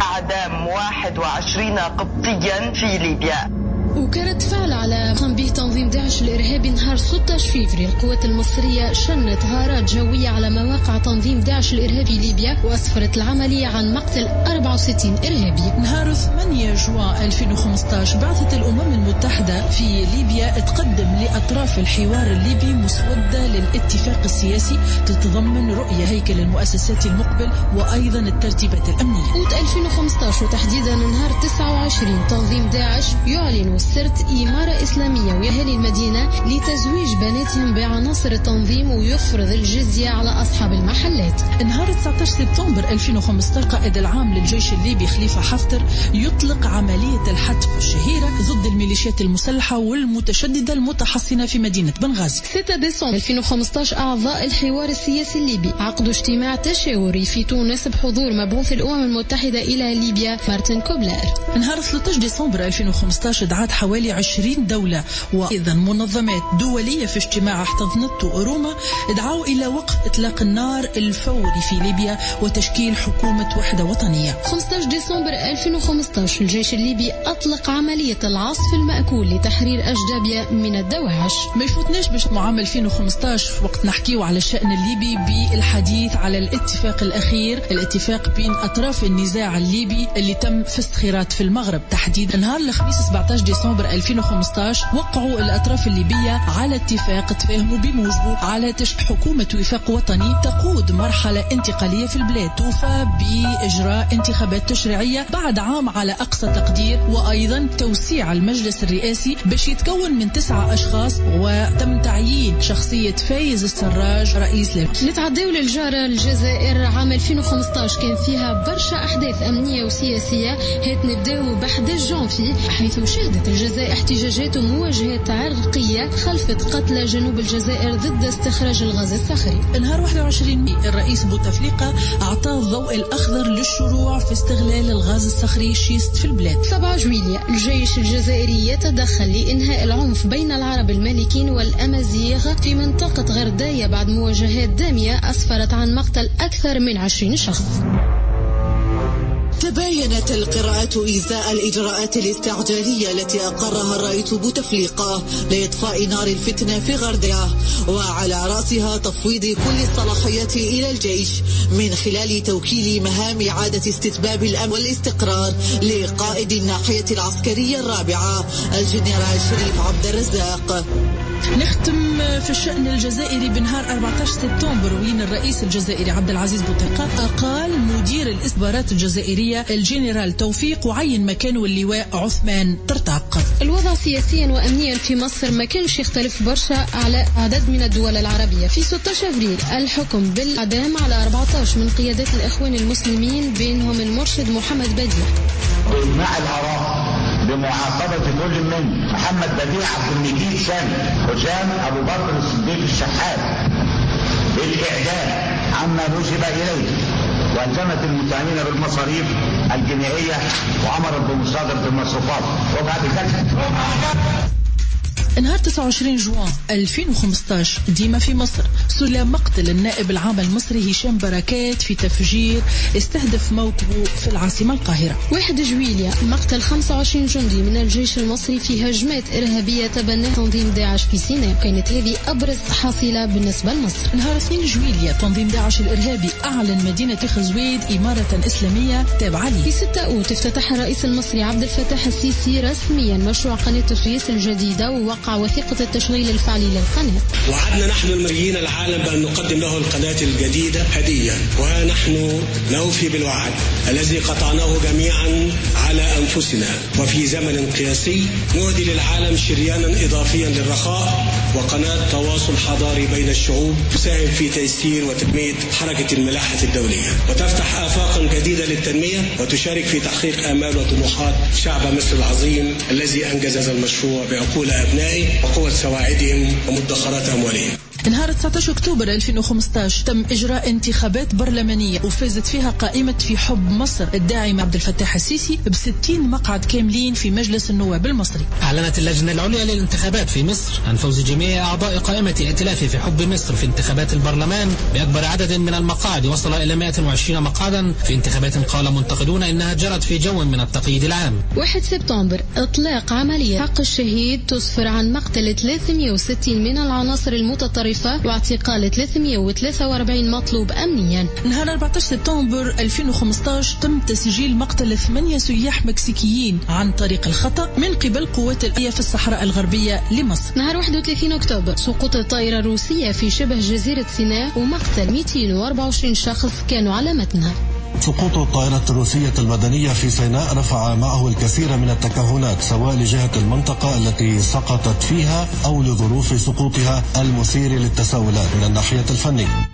إعدام واحد وعشرين قبطيا في ليبيا. وكرد فعل على قام به تنظيم داعش الإرهابي نهار ستة عشر فيفري، القوات المصرية شنت غارات جوية على مواقع تنظيم داعش الإرهابي ليبيا، وأسفرت العملية عن مقتل أربعة وستين إرهابي. نهار ثمانية جوان ألفين وخمسة عشر بعثت الأمم المتحدة في ليبيا تقدم لأطراف الحوار الليبي مسودة للاتفاق السياسي تتضمن رؤية هيكل المؤسسات المقبل وأيضا الترتيبات الأمنية. أوت ألفين وخمسة عشر وتحديدا نهار تسعة وعشرين تنظيم داعش يعلن سرت إمارة إسلامية وأهالي المدينة لتزويج بناتهم بعناصر التنظيم ويفرض الجزية على أصحاب المحلات. نهار تسعة عشر سبتمبر ألفين وخمسة عشر قائد العام للجيش الليبي خليفة حفتر يطلق عملية الحتف الشهيرة ضد الميليشيات المسلحة والمتشددة المتحصنة في مدينة بنغازي. ستة ديسمبر ألفين وخمسة عشر أعضاء الحوار السياسي الليبي عقدوا اجتماع تشاوري في تونس بحضور مبعوث الأمم المتحدة إلى ليبيا مارتن كوبلر. نهار ثلاثة عشر ديسمبر ألفين وخمسة عشر دعت حوالي عشرين دولة وأيضا منظمات دولية في اجتماع احتضنته روما دعوا إلى وقف إطلاق النار الفوري في ليبيا وتشكيل حكومة وحدة وطنية. خمسة عشر ديسمبر ألفين وخمسة عشر الجيش الليبي أطلق عملية العصف المأكول لتحرير أجدابيا من الدواعش. ما يفوتناش باش عام ألفين وخمسة عشر وقت نحكيو على الشأن الليبي بالحديث على الاتفاق الأخير، الاتفاق بين أطراف النزاع الليبي اللي تم في الصخيرات في المغرب. تحديدا نهار الخميس سبعة عشر ديسمبر ألفين وخمسة عشر وقعوا الأطراف الليبية على اتفاق تفاهموا بموجبه على تشكيل حكومة وفاق وطني تقود مرحلة انتقالية في البلاد توفى بإجراء انتخابات تشريعية بعد عام على أقصى تقدير، وأيضا توسيع المجلس الرئاسي باش يتكون من تسعة أشخاص، وتم تعيين شخصية فايز السراج رئيس للجنة. نتعداو للجارة الجزائر. عام ألفين وخمسة عشر كان فيها برشا أحداث أمنية وسياسية. هات نبداو ب أحد عشر جانفي حيث شهدت الجزائر احتجاجات ومواجهات عرقية خلفت قتلى جنوب الجزائر ضد استخراج الغاز الصخري. نهار واحد وعشرين ماي الرئيس بوتفليقة أعطى الضوء الأخضر للشروع في استغلال الغاز الصخري schiste في البلاد. سبعة جويلية الجيش الجزائري يتدخل لإنهاء العنف بين العرب المالكين والأمازيغ في منطقة غرداية بعد مواجهات دامية أسفرت عن مقتل أكثر من عشرين شخص. تباينت القراءات إزاء الإجراءات الاستعجالية التي أقرها الرئيس بوتفليقة لإطفاء نار الفتنة في غردية، وعلى رأسها تفويض كل الصلاحيات إلى الجيش من خلال توكيل مهام إعادة استتباب الأمن والاستقرار لقائد الناحية العسكرية الرابعة الجنرال شريف عبد الرزاق. نختم في الشأن الجزائري بنهار أربعة عشر سبتمبر، وين الرئيس الجزائري عبد العزيز بوتفليقة أقال مدير الاستخبارات الجزائرية الجنرال توفيق وعين مكانه اللواء عثمان طرطاق. الوضع سياسيا وأمنيا في مصر ما كانش يختلف برشا على عدد من الدول العربية. في ستة عشر أفريل الحكم بالإعدام على أربعة عشر من قيادات الإخوان المسلمين بينهم المرشد محمد بديع. إجماع الآراء بمعاقبة كل من محمد بديع عبد المجيد سامي حسام أبو بكر الصديق الشحات بالإعدام عما نسب إليه، وألزمت المتهمين بالمصاريف الجنائية وأمرت بمصادرة المصروفات. وبعد ذلك نهار تسعة وعشرين جوان ألفين وخمسة عشر ديما في مصر سلى مقتل النائب العام المصري هشام بركات في تفجير استهدف موكبه في العاصمة القاهرة. واحد جويلية مقتل خمسة وعشرين جندي من الجيش المصري في هجمات إرهابية تبناها تنظيم داعش في سيناء، كانت هذه أبرز حصيلة بالنسبة لمصر. نهار اثنين جويلية تنظيم داعش الإرهابي أعلن مدينة خزويد إمارة إسلامية تابعة له. في ستة أوت افتتح الرئيس المصري عبد الفتاح السيسي رسميا مشروع قناة السويس الجديدة ووقع وثيقة التشغيل الفعلي للقناة. وعدنا نحن المريين العالم بأن نقدم له القناة الجديدة هدية، وها نحن نوفي بالوعد الذي قطعناه جميعا على أنفسنا، وفي زمن قياسي نهدي للعالم شريانا إضافيا للرخاء وقناة تواصل حضاري بين الشعوب تساهم في تيسير وتنمية حركة الملاحة الدولية وتفتح آفاقا جديدة للتنمية وتشارك في تحقيق آمال وطموحات شعب مصر العظيم الذي أنجز هذا المشروع بعقول أبنائه وقوة سواعدهم ومدخرات أموالهم. نهار تسعة عشر أكتوبر ألفين وخمسة عشر تم إجراء انتخابات برلمانية وفازت فيها قائمة في حب مصر الداعمة عبد الفتاح السيسي بستين مقعد كاملين في مجلس النواب المصري. أعلنت اللجنة العليا للانتخابات في مصر عن فوز جميع أعضاء قائمة ائتلاف في حب مصر في انتخابات البرلمان بأكبر عدد من المقاعد وصل إلى مئة وعشرين مقعدا في انتخابات قال منتقدون إنها جرت في جو من التقييد العام. واحد سبتمبر إطلاق عملية حق الشهيد تسفر عن مقتل ثلاثمئة وستين من العناصر المتطرفة واعتقال ثلاثمئة وثلاثة وأربعين مطلوب أمنيا. نهار أربعة عشر سبتمبر ألفين وخمسة عشر تم تسجيل مقتل ثمانية سياح مكسيكيين عن طريق الخطأ من قبل قوات الأمنية في الصحراء الغربية لمصر. نهار واحد وثلاثين أكتوبر سقوط الطائرة الروسية في شبه جزيرة سيناء ومقتل مئتين وأربعة وعشرين شخص كانوا على متنها. سقوط الطائرة الروسية المدنية في سيناء رفع معه الكثير من التكهنات، سواء لجهة المنطقة التي سقطت فيها أو لظروف سقوطها المثير للتساؤلات من الناحية الفنية.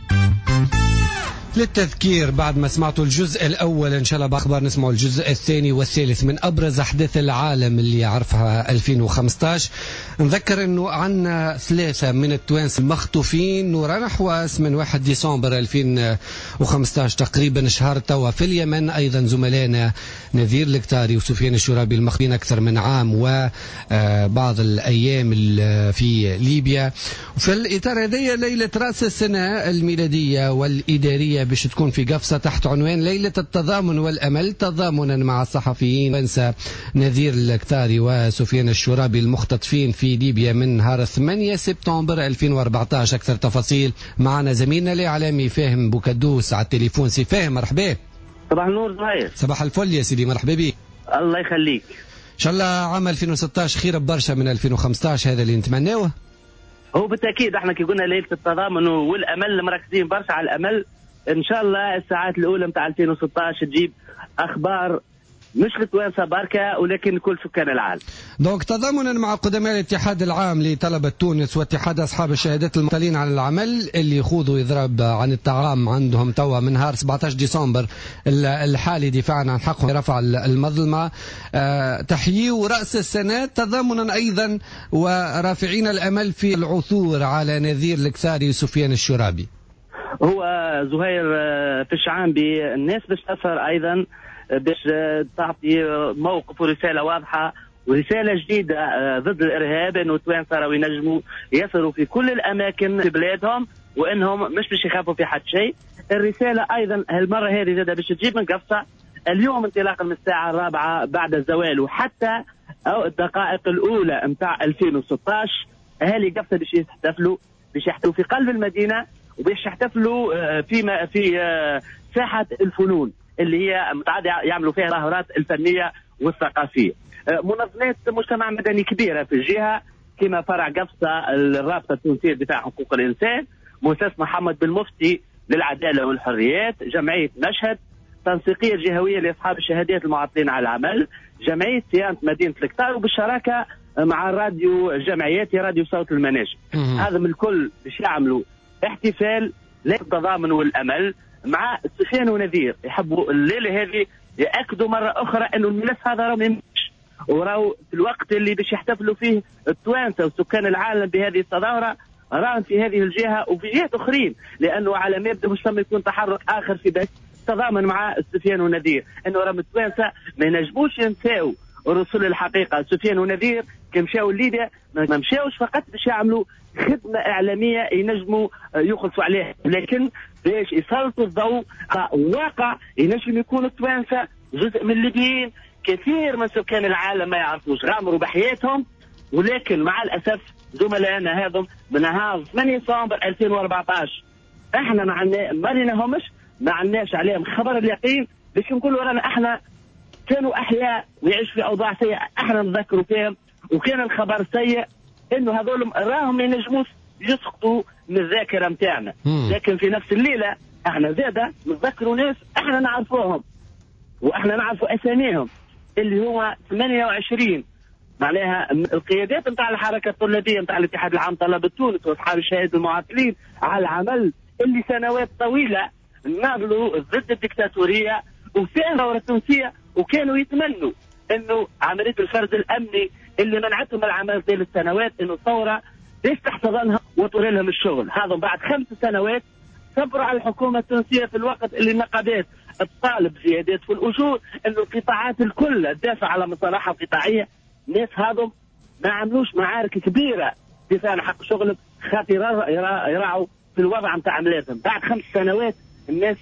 للتذكير بعد ما سمعتوا الجزء الأول إن شاء الله بأخبار نسمعوا الجزء الثاني والثالث من أبرز أحداث العالم اللي عرفها ألفين وخمسة عشر. نذكر أنه عندنا ثلاثة من التوانسة المخطوفين نوران حواس من واحد ديسمبر ألفين وخمسة عشر تقريبا شهر توا في اليمن. أيضا زملائنا نذير الكتاري وسفيان الشرابي المخطوفين أكثر من عام وبعض الأيام في ليبيا. وفي الإطار هذه ليلة رأس السنة الميلادية والإدارية باش تكون في قفصة تحت عنوان ليلة التضامن والأمل، تضامنا مع الصحفيين ونسى نذير الكتاري وسفيان الشرابي المختطفين في ليبيا من نهار ثمانية سبتمبر ألفين وأربعة عشر. أكثر تفاصيل معنا زميلنا الإعلامي فاهم بوكدوس على التليفون. سي فاهم مرحبا. صباح النور زهير. صباح الفل يا سيدي، مرحبا بك. الله يخليك. إن شاء الله عام ألفين وستة عشر خير برشا من ألفين وخمسة عشر، هذا اللي نتمناه. هو بالتأكيد احنا كي قلنا ليلة التضامن والأمل مركزين برشا على الأمل. ان شاء الله الساعات الاولى نتاع ألفين وستة عشر تجيب اخبار مش لتوانسه بركة ولكن كل سكان العالم. donc تضامنا مع قدماء الاتحاد العام لطلبه تونس واتحاد اصحاب الشهادات المعطلين عن العمل اللي يخوضوا اضراب عن الطعام عندهم توا من نهار سبعة عشر ديسمبر الحالي دفاعا عن حقهم رفع المظلمة. أه تحييوا راس السنة تضامنا ايضا ورافعين الامل في العثور على نذير الكثاري وسفيان الشرابي. هو زهير في الشعانبي الناس باش تسهر ايضا باش تعطي موقف ورسالة واضحة ورسالة جديدة ضد الارهاب، انه التوانسة راهو ينجموا يسهروا في كل الاماكن في بلادهم وانهم مش باش يخافوا في حد شيء. الرسالة ايضا هالمرة هذه زاده باش تجيب من قفصه اليوم انطلاقا من الساعة الرابعة بعد الزوال وحتى أو الدقائق الأولى متاع ألفين وستة عشر أهالي قفصة باش يحتفلوا، باش يحتفلوا في قلب المدينة، وباش يحتفلوا في في ساحة الفنون اللي هي متعادة يعملوا فيها الظاهرات الفنية والثقافية. منظمات مجتمع مدني كبيرة في الجهة كما فرع قفصة الرابطة التونسية لدفاع حقوق الإنسان، مؤسسة محمد بن مفتي للعدالة والحريات، جمعية مشهد، تنسيقية الجهوية لأصحاب الشهادات المعطلين على العمل، جمعية صيانة مدينة الكتار، وبالشراكة مع الراديو الجمعياتي راديو صوت المناجم. هذا من الكل باش يعملوا احتفال للتضامن والأمل مع سفيان ونذير. يحبوا الليلة هذه يأكدوا مرة أخرى أنه الملف هذا راه ما يمشيش، وراو في الوقت اللي باش يحتفلوا فيه التوانسة وسكان العالم بهذه التظاهرة راهم في هذه الجهة وفي جهات أخرين، لأنه على ما يبدو مش يكون تحرك آخر في بس تضامن مع سفيان ونذير، انه راهم التوانسة ما ينجموش ينساو رسول الحقيقة. سفيان ونذير كي مشاو لليبيا ما مشاوش فقط باش يعملوا خدمة اعلامية ينجموا يخلصوا عليها، لكن باش يسلطوا الضوء على واقع ينجم يكون التوانسة جزء من الليبيين، كثير من سكان العالم ما يعرفوش، غامروا بحياتهم، ولكن مع الاسف زملائنا هذم من نهار ثمانية ديسمبر ألفين وأربعة عشر احنا ما عندنا ما ريناهمش، ما عندناش عليهم خبر اليقين باش نقولوا رانا احنا كانوا احياء ويعيشوا في اوضاع سيئه، احنا نذكروا فيهم، وكان الخبر سيء انه هذول راهم ما ينجموش يسقطوا من الذاكرة نتاعنا، لكن في نفس الليلة احنا زاده نتذكروا ناس احنا نعرفوهم واحنا نعرفوا اساميهم اللي هو ثمانية وعشرين معناها القيادات نتاع الحركة الطلابيه نتاع الاتحاد العام طلبه تونس واصحاب الشهادة المعطلين على العمل اللي سنوات طويلة ناضلوا ضد الدكتاتورية وفي الثورة التونسية، وكانوا يتمنوا انه عملية الفرز الامني اللي منعتهم العمل طيلة السنوات انه الثورة ليش تحتضنها وتوري لهم الشغل. هذا بعد خمس سنوات صبروا على الحكومة التونسية في الوقت اللي النقابات تطالب زيادات في الاجور، انه القطاعات الكل تدافع على مصالحها القطاعيه. الناس هذم ما عملوش معارك كبيرة دفاع عن حق شغلهم خاطر يراعوا في الوضع نتاع عملاتهم. بعد خمس سنوات الناس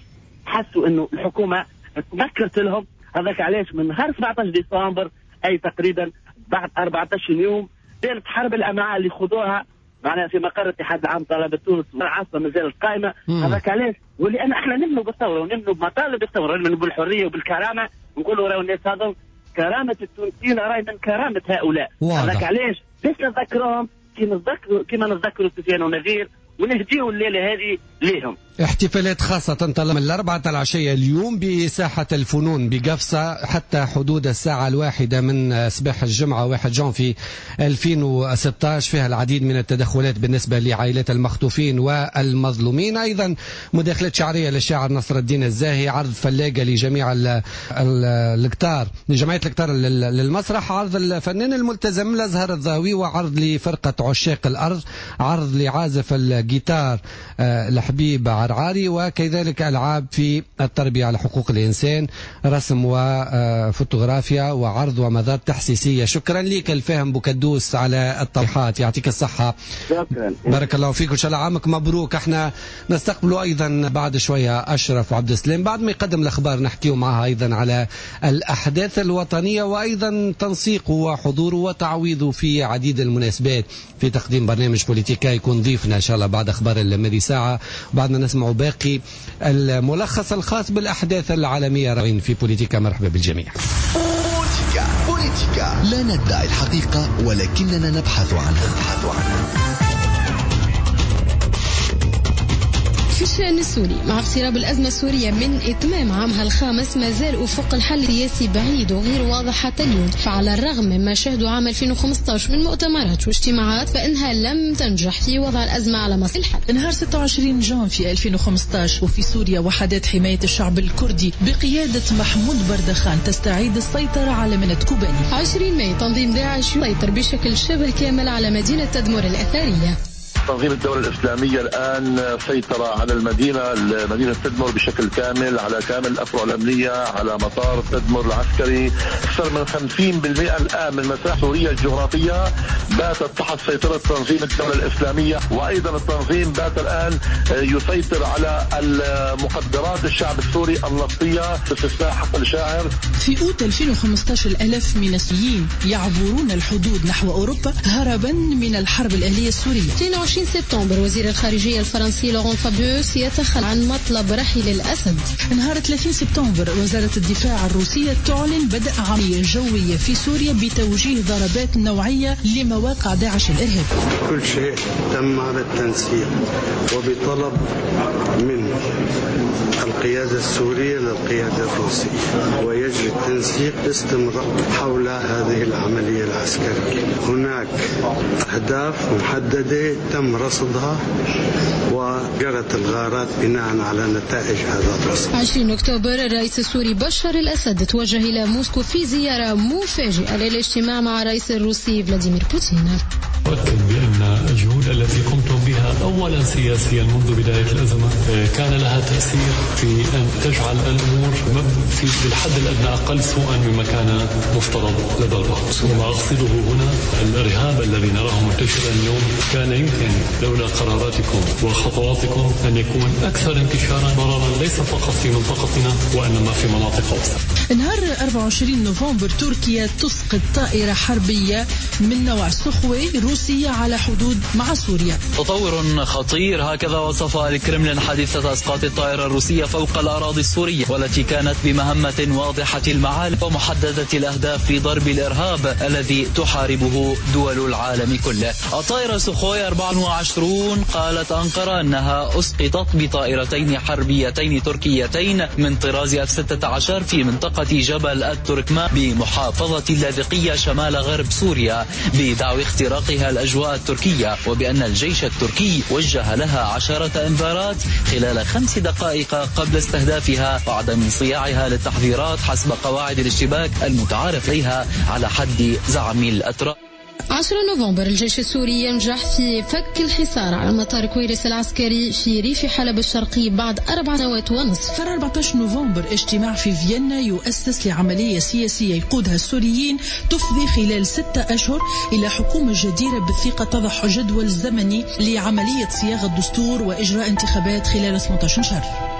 حسوا انه الحكومة تنكرت لهم، هذاك علاش من نهار سبعة عشر ديسمبر اي تقريبا بعد أربعة عشر يوم دارت حرب الامعاء اللي خذوها معناها في مقر الاتحاد العام طلبه تونس العاصمة مازالت قائمة. هذاك علاش، ولان احنا نمنوا بالثورة ونمنوا بمطالب الثورة، نمنوا بالحرية وبالكرامه، نقولوا راهو الناس هذو كرامة التونسيين راهي من كرامة هؤلاء. هذاك علاش باش نذكرهم كي نتذكروا كيما نتذكروا سفيان ونذير ونهديوا الليلة هذه ليهم. احتفالات خاصة تنطلق من الأربعة العشية اليوم بساحة الفنون بقفصة حتى حدود الساعة الواحدة من صباح الجمعة واحد جانفي ألفين وستة عشر، فيها العديد من التدخلات بالنسبة لعائلات المخطوفين والمظلومين، أيضا مداخلات شعرية للشاعر نصر الدين الزاهي، عرض فلاقة لجميع الكتار لجمعية الكتار للمسرح، عرض الفنان الملتزم الأزهر الضاوي، وعرض لفرقة عشاق الأرض، عرض لعازف الجيتار الحبيب عرعاري، وكذلك ألعاب في التربية على حقوق الإنسان، رسم وفوتوغرافيا وعرض ومذات تحسيسية. شكرا لك الفاهم بوكدوس على التوضيحات، يعطيك الصحة. شكرا، بارك الله فيك وإن شاء الله عامك مبروك. احنا نستقبل أيضا بعد شوية أشرف عبد السلام بعد ما يقدم الأخبار، نحكيه معها أيضا على الأحداث الوطنية وأيضا تنسيقه وحضوره وتعويضه في عديد المناسبات في تقديم برنامج بوليتيكا. يكون ضيفنا إن شاء الله بعد أخبار الماضي ساعة، بعدنا نسمع باقي الملخص الخاص بالأحداث العالمية في بوليتيكا. مرحبا بالجميع. بوليتيكا بوليتيكا لا ندعي الحقيقة ولكننا نبحث عنها. نبحث عنها. في الشأن السوري، مع اقتراب الأزمة السورية من إتمام عامها الخامس، ما زال أفق الحل السياسي بعيد وغير واضح حتى اليوم. فعلى الرغم مما شهدوا عام ألفين وخمسة عشر من مؤتمرات واجتماعات، فإنها لم تنجح في وضع الأزمة على مسار الحل. نهار ستة وعشرين جانفي ألفين وخمسة عشر وفي سوريا وحدات حماية الشعب الكردي بقيادة محمود بردخان تستعيد السيطرة على مدينة كوباني. عشرين ماي تنظيم داعش يسيطر بشكل شبه كامل على مدينة تدمر الأثرية. تنظيم الدولة الإسلامية الآن سيطر على المدينة، مدينة تدمر بشكل كامل، على كامل الأفرع الأمنية، على مطار تدمر العسكري. أكثر من خمسين بالمئة الآن من مساحة سوريا الجغرافية باتت تحت سيطرة تنظيم الدولة الإسلامية، وأيضا التنظيم بات الآن يسيطر على المقدرات الشعب السوري النفطية باستثناء حقل شاعر. في أوت ألفين وخمسة عشر الآلاف من السوريين يعبرون الحدود نحو أوروبا هربا من الحرب الأهلية السورية. اثنين وعشرين سبتمبر وزير الخارجية الفرنسي لوران فابيوس يتخلى عن مطلب رحيل الأسد. نهار ثلاثين سبتمبر وزارة الدفاع الروسية تعلن بدء عملية جوية في سوريا بتوجيه ضربات نوعية لمواقع داعش الإرهاب. كل شيء تم بالتنسيق وبطلب من القيادة السورية للقيادة الروسية، ويجري التنسيق باستمرار حول هذه العملية العسكرية. هناك أهداف محددة تم رصدها وجرت الغارات بناء على نتائج هذا الرصد. عشرين أكتوبر الرئيس السوري بشار الأسد توجه إلى موسكو في زيارة مفاجئة للاجتماع مع الرئيس الروسي فلاديمير بوتين. أؤكد بأن الجهود التي قمتم بها أولا سياسيا منذ بداية الأزمة كان لها تأثير في أن تجعل الأمور في الحد الأدنى أقل سوءا مما كان مفترض لدى البعض. وما أقصده هنا الإرهاب الذي نراه منتشرا اليوم كان يمكن لولا قراراتكم وخطواتكم أن يكون أكثر انتشارا ضررا ليس فقط في منطقتنا وإنما في مناطق أوسع. نهار أربعة وعشرين نوفمبر تركيا تسقط طائرة حربية من نوع سخوي روسية على حدود مع سوريا. تطور خطير، هكذا وصف الكرملين حادثة إسقاط الطائرة الروسية فوق الأراضي السورية، والتي كانت بمهمة واضحة المعالم ومحددة الأهداف في ضرب الإرهاب الذي تحاربه دول العالم كله. الطائرة سخوي أربعة وعشرين قالت أنقرة أنها أسقطت بطائرتين حربيتين تركيتين من طراز إف ستة عشر في منطقة جبل التركمان بمحافظة اللاذقية شمال غرب سوريا بدعوى اختراقها الأجواء التركية، وبأن الجيش التركي وجه لها عشرة إنذارات خلال خمس دقائق قبل استهدافها وعدم انصياعها للتحذيرات حسب قواعد الاشتباك المتعارف عليها على حد زعم الأتراك. عشرة نوفمبر الجيش السوري ينجح في فك الحصار على مطار كويرس العسكري في ريف حلب الشرقي بعد أربع سنوات ونصف. أربعة عشر نوفمبر اجتماع في فيينا يؤسس لعملية سياسية يقودها السوريين تفضي خلال ستة أشهر إلى حكومة جديرة بالثقة تضع جدول زمني لعملية صياغة الدستور وإجراء انتخابات خلال ثمانية عشر شهر.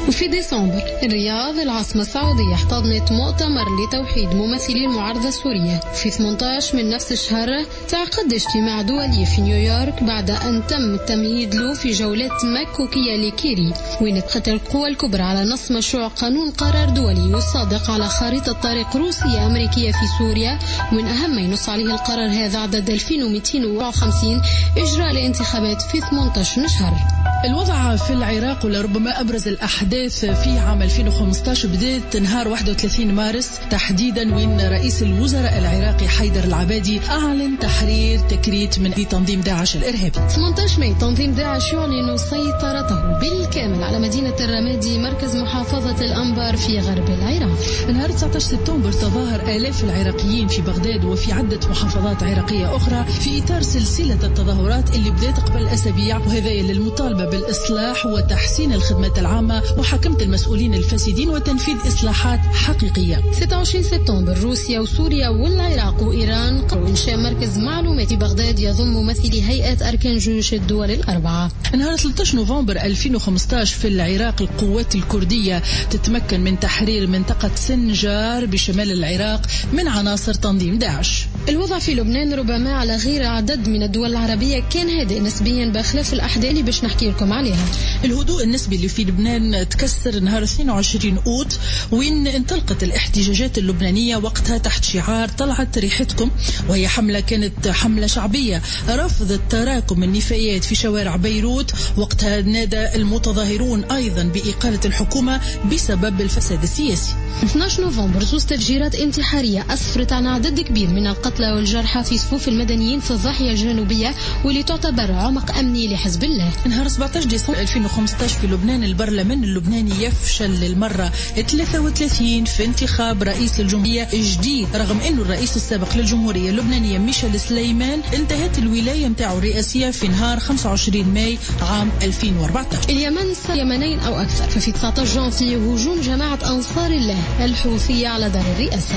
وفي ديسمبر الرياض العاصمة السعودية احتضنت مؤتمر لتوحيد ممثلي المعارضة السورية. في ثمانية عشر من نفس الشهر تعقد اجتماع دولي في نيويورك بعد أن تم التمهيد له في جولات مكوكية لكيري، وين اتفقت القوى الكبرى على نص مشروع قانون قرار دولي يصادق على خريطة طريق روسية أمريكية في سوريا، ومن أهم ما ينص عليه القرار هذا عدد ألفين ومئتين وأربعة وخمسين إجراء الانتخابات في ثمانية عشر شهر. الوضع في العراق ولربما أبرز الأحداث في عام ألفين وخمسة عشر بدأت نهار واحد وثلاثين مارس تحديدا، وين رئيس الوزراء العراقي حيدر العبادي أعلن تحرير تكريت من تنظيم داعش الإرهابي. ثمانية عشر ماي تنظيم داعش يعلن سيطرته بالكامل على مدينة الرمادي مركز محافظة الأنبار في غرب العراق. نهار تسعة عشر سبتمبر تظاهر آلاف العراقيين في بغداد وفي عدة محافظات عراقية أخرى في إطار سلسلة التظاهرات اللي بدأت قبل أسابيع، وهذا للمطالبة بالإصلاح وتحسين الخدمات العامة وحكمة المسؤولين الفاسدين وتنفيذ إصلاحات حقيقية. ستة وعشرين سبتمبر روسيا وسوريا والعراق وإيران قرروا إنشاء مركز معلوماتي بغداد يضم ممثلي هيئة أركان جيوش الدول الأربعة. نهار ثلاثة عشر نوفمبر ألفين وخمسة عشر في العراق القوات الكردية تتمكن من تحرير منطقة سنجار بشمال العراق من عناصر تنظيم داعش. الوضع في لبنان ربما على غير عدد من الدول العربية كان هادئ نسبيا بخلاف الأحداث اللي باش نحكي لكم عليها. الهدوء النسبي اللي في لبنان تكسر نهار اثنين وعشرين أوت وين انطلقت الاحتجاجات اللبنانية وقتها تحت شعار طلعت ريحتكم، وهي حملة كانت حملة شعبية رفضت تراكم النفايات في شوارع بيروت. وقتها نادى المتظاهرون أيضا بإقالة الحكومة بسبب الفساد السياسي. اثني عشر نوفمبر زوج تفجيرات انتحارية أسفرت عن عدد كبير من القتلى والجرحى في صفوف المدنيين في الضاحية الجنوبية واللي تعتبر عمق أمني لحزب الله. نهار سبعة تسعطاش ديسمبر ألفين وخمسطاش في لبنان، البرلمان اللبناني يفشل للمرة ثلاثة وثلاثين في انتخاب رئيس الجمهورية جديد، رغم أنه الرئيس السابق للجمهورية اللبنانية ميشيل سليمان انتهت الولاية متاعه الرئاسية في نهار خمسة وعشرين ماي عام ألفين وأربعطاش. اليمن يمنين أو أكثر، ففي تسعطاش جانفي هجوم جماعة أنصار الله الحوثية على دار الرئاسة.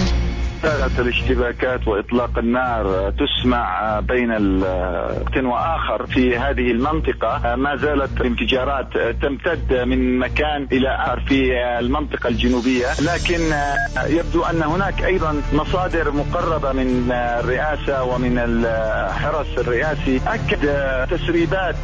الاشتباكات وإطلاق النار تسمع بين وقت وآخر في هذه المنطقة، ما زالت الانفجارات تمتد من مكان إلى آخر في المنطقة الجنوبية، لكن يبدو أن هناك أيضا مصادر مقربة من الرئاسة ومن الحرس الرئاسي أكد تسريبات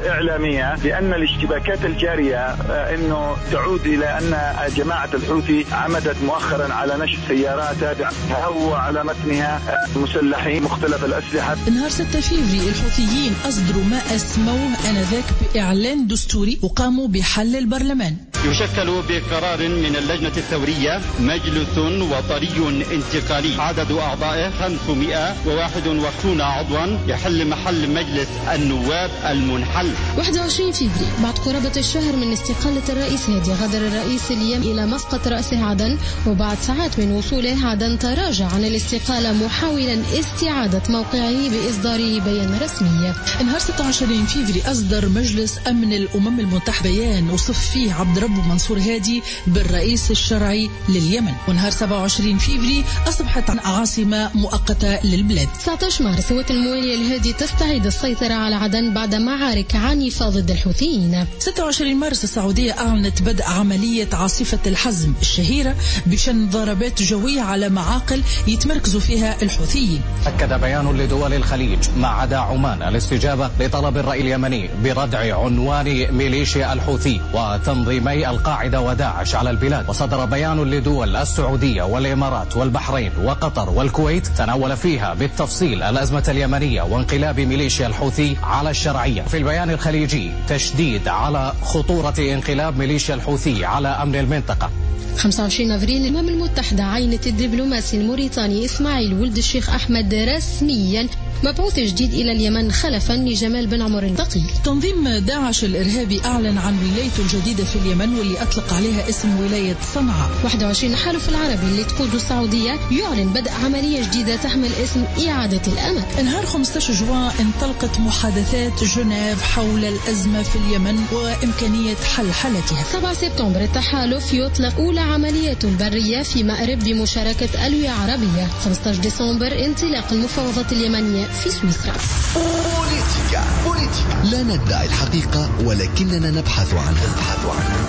إعلامية بأن الاشتباكات الجارية أنه تعود إلى أن جماعة الحوثي عمدت مؤخرا على نشر سيارات تابعة هو على متنها مسلحين مختلف الأسلحة. نهار ستة فيفري الحوثيين أصدروا ما أسموه آنذاك بإعلان دستوري وقاموا بحل البرلمان. يشكل بقرار من اللجنة الثورية مجلس وطني انتقالي عدد أعضائه خمسمائة وواحد وخمسون عضوا يحل محل مجلس النواب المنحل. واحد وعشرين فيفري بعد قرابة الشهر من استقالة الرئيس هادي، غادر الرئيس اليمني إلى مسقط رأسه عدن، وبعد ساعات من وصوله عدن تراجع عن الاستقالة محاولا استعادة موقعه بإصداره بيان رسمي. نهار ستة وعشرين فيفري أصدر مجلس أمن الأمم المتحدة بيان وصف فيه عبد ربه منصور هادي بالرئيس الشرعي لليمن. ونهار سبعة وعشرين فيفري أصبحت عاصمة مؤقتة للبلاد. تسعطاش مارس قوات الموالية الهادي تستعيد السيطرة على عدن بعد معارك عنيفة ضد الحوثيين. ستة وعشرين مارس السعودية أعلنت بدء عملية عاصفة الحزم الشهيرة بشن ضربات جوية على معاقل يتمركزوا فيها الحوثيين. أكد بيان لدول الخليج ما عدا عمان الاستجابة لطلب الرأي اليمني بردع عنوان ميليشيا الحوثي وتنظيمي القاعدة وداعش على البلاد. وصدر بيان لدول السعودية والإمارات والبحرين وقطر والكويت تناول فيها بالتفصيل الأزمة اليمنية وانقلاب ميليشيا الحوثي على الشرعية. في البيان الخليجي تشديد على خطورة انقلاب ميليشيا الحوثي على أمن المنطقة. خمسة وعشرين أفريل الأمم المتحدة عينت الدبلوماسي الموريتاني إسماعيل ولد الشيخ أحمد رسميا مبعوث جديد إلى اليمن خلفا لجمال بن عمر الثقيل. تنظيم داعش الإرهابي أعلن عن ولايته الجديدة في اليمن واللي أطلق عليها اسم ولاية صنعاء. واحد وعشرين الحلف العربي اللي تقوده السعودية يعلن بدء عملية جديدة تحمل اسم إعادة الأمل. نهار خمسة عشر جوان انطلقت محادثات جنيف حول الأزمة في اليمن وإمكانية حل حالتها. سبعة سبتمبر التحالف يطلق أولى عمليات برية في مأرب بمشاركة ألوية عربية. خمسة عشر ديسمبر انطلاق المفاوضات اليمنية في سويسرا. بوليتيكا بوليتيكا لا ندعي الحقيقة ولكننا نبحث عنها. نبحث عنها.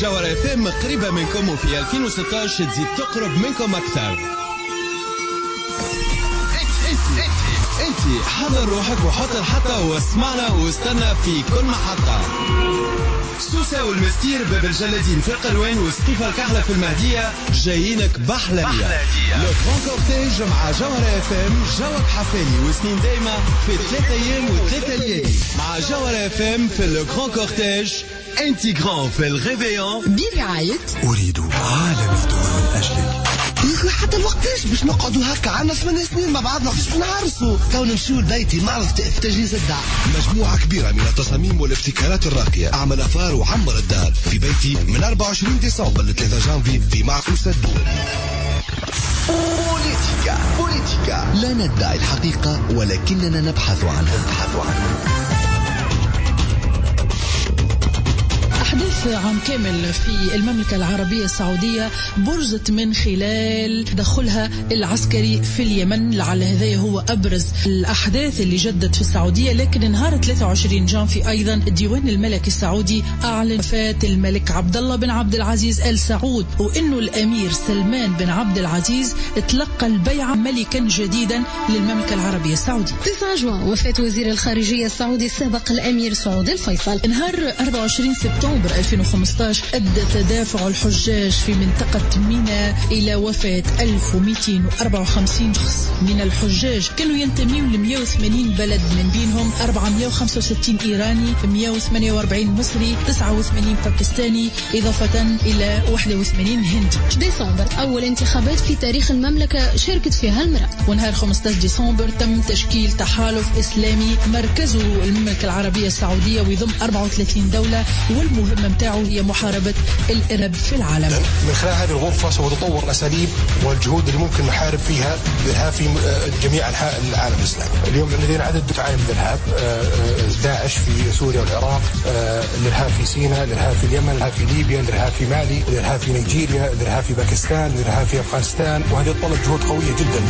جوهرة اف ام قريبة منكم وفي ألفين وستة عشر تزيد تقرب منكم أكثر. انت انت حضر روحك وحط الحطة واسمعنا واستنى في كل محطة. سوسة والمستير باب الجلادين في القلوان وسقيفة الكحلة في المهدية جايينك بحلبية. le grand cortège مع جوهرة اف ام، جوك حفالي وسنين دايمة في ثلاثة ايام وثلاثة ليالي مع جوهرة اف ام في le grand cortège انتيغرون في ال réveillon برعاية أريد عالم يدور من أجلك. يا اخي حتى الوقتاش باش نقعدوا هكا عندنا ثمان سنين مع بعضنا باش نعرسوا تو نمشيو لبيتي معرض تجهيز الدار. مجموعة كبيرة من التصاميم والابتكارات الراقية، أعمل أفار وعمر الدار في بيتي من أربعة وعشرين ديسمبر ل ثلاثة جانفي في معرض الدول. بوليتيكا بوليتيكا لا ندعي الحقيقة ولكننا نبحث عنها. نبحث عنها. أحداث عام كامل في المملكة العربية السعودية برزت من خلال دخلها العسكري في اليمن، لعل هذا هو أبرز الأحداث اللي جدت في السعودية. لكن نهار ثلاثة وعشرين جانفي أيضا الديوان الملكي السعودي أعلن وفاة الملك عبد الله بن عبد العزيز آل سعود، وإنه الأمير سلمان بن عبد العزيز تلقى البيعة ملكا جديدا للمملكة العربية السعودية. تسعة جوان وفاة وزير الخارجية السعودي السابق الأمير سعود الفيصل. نهار أربعة وعشرين سبتمبر ديسمبر ألفين وخمسطاش أدى تدافع الحجاج في منطقة منى إلى وفاة ألف ومئتين وأربعة وخمسين شخص من الحجاج كانوا ينتمون ل مئة وثمانين بلد، من بينهم أربعمئة وخمسة وستين إيراني، مئة وثمانية وأربعين مصري، تسعة وثمانين باكستاني، إضافة إلى واحد وثمانين هندي. ديسمبر أول انتخابات في تاريخ المملكة شاركت فيها المرأة. ونهار خمسطاش ديسمبر تم تشكيل تحالف إسلامي مركزه المملكة العربية السعودية ويضم أربعة وثلاثين دولة، والمهمة متاعه هي محاربة الإرهاب في العالم. من خلال هذه الغرفة سوف تطور الأساليب والجهود اللي ممكن نحارب فيها الإرهاب في جميع أنحاء العالم الإسلامي. اليوم لدينا عدد متعاين من الإرهاب، داعش في سوريا والعراق، الإرهاب في سيناء، الإرهاب في اليمن، الإرهاب في ليبيا، الإرهاب في مالي، الإرهاب في نيجيريا، الإرهاب في باكستان، الإرهاب في أفغانستان، وهذه يتطلب جهود قوية جدا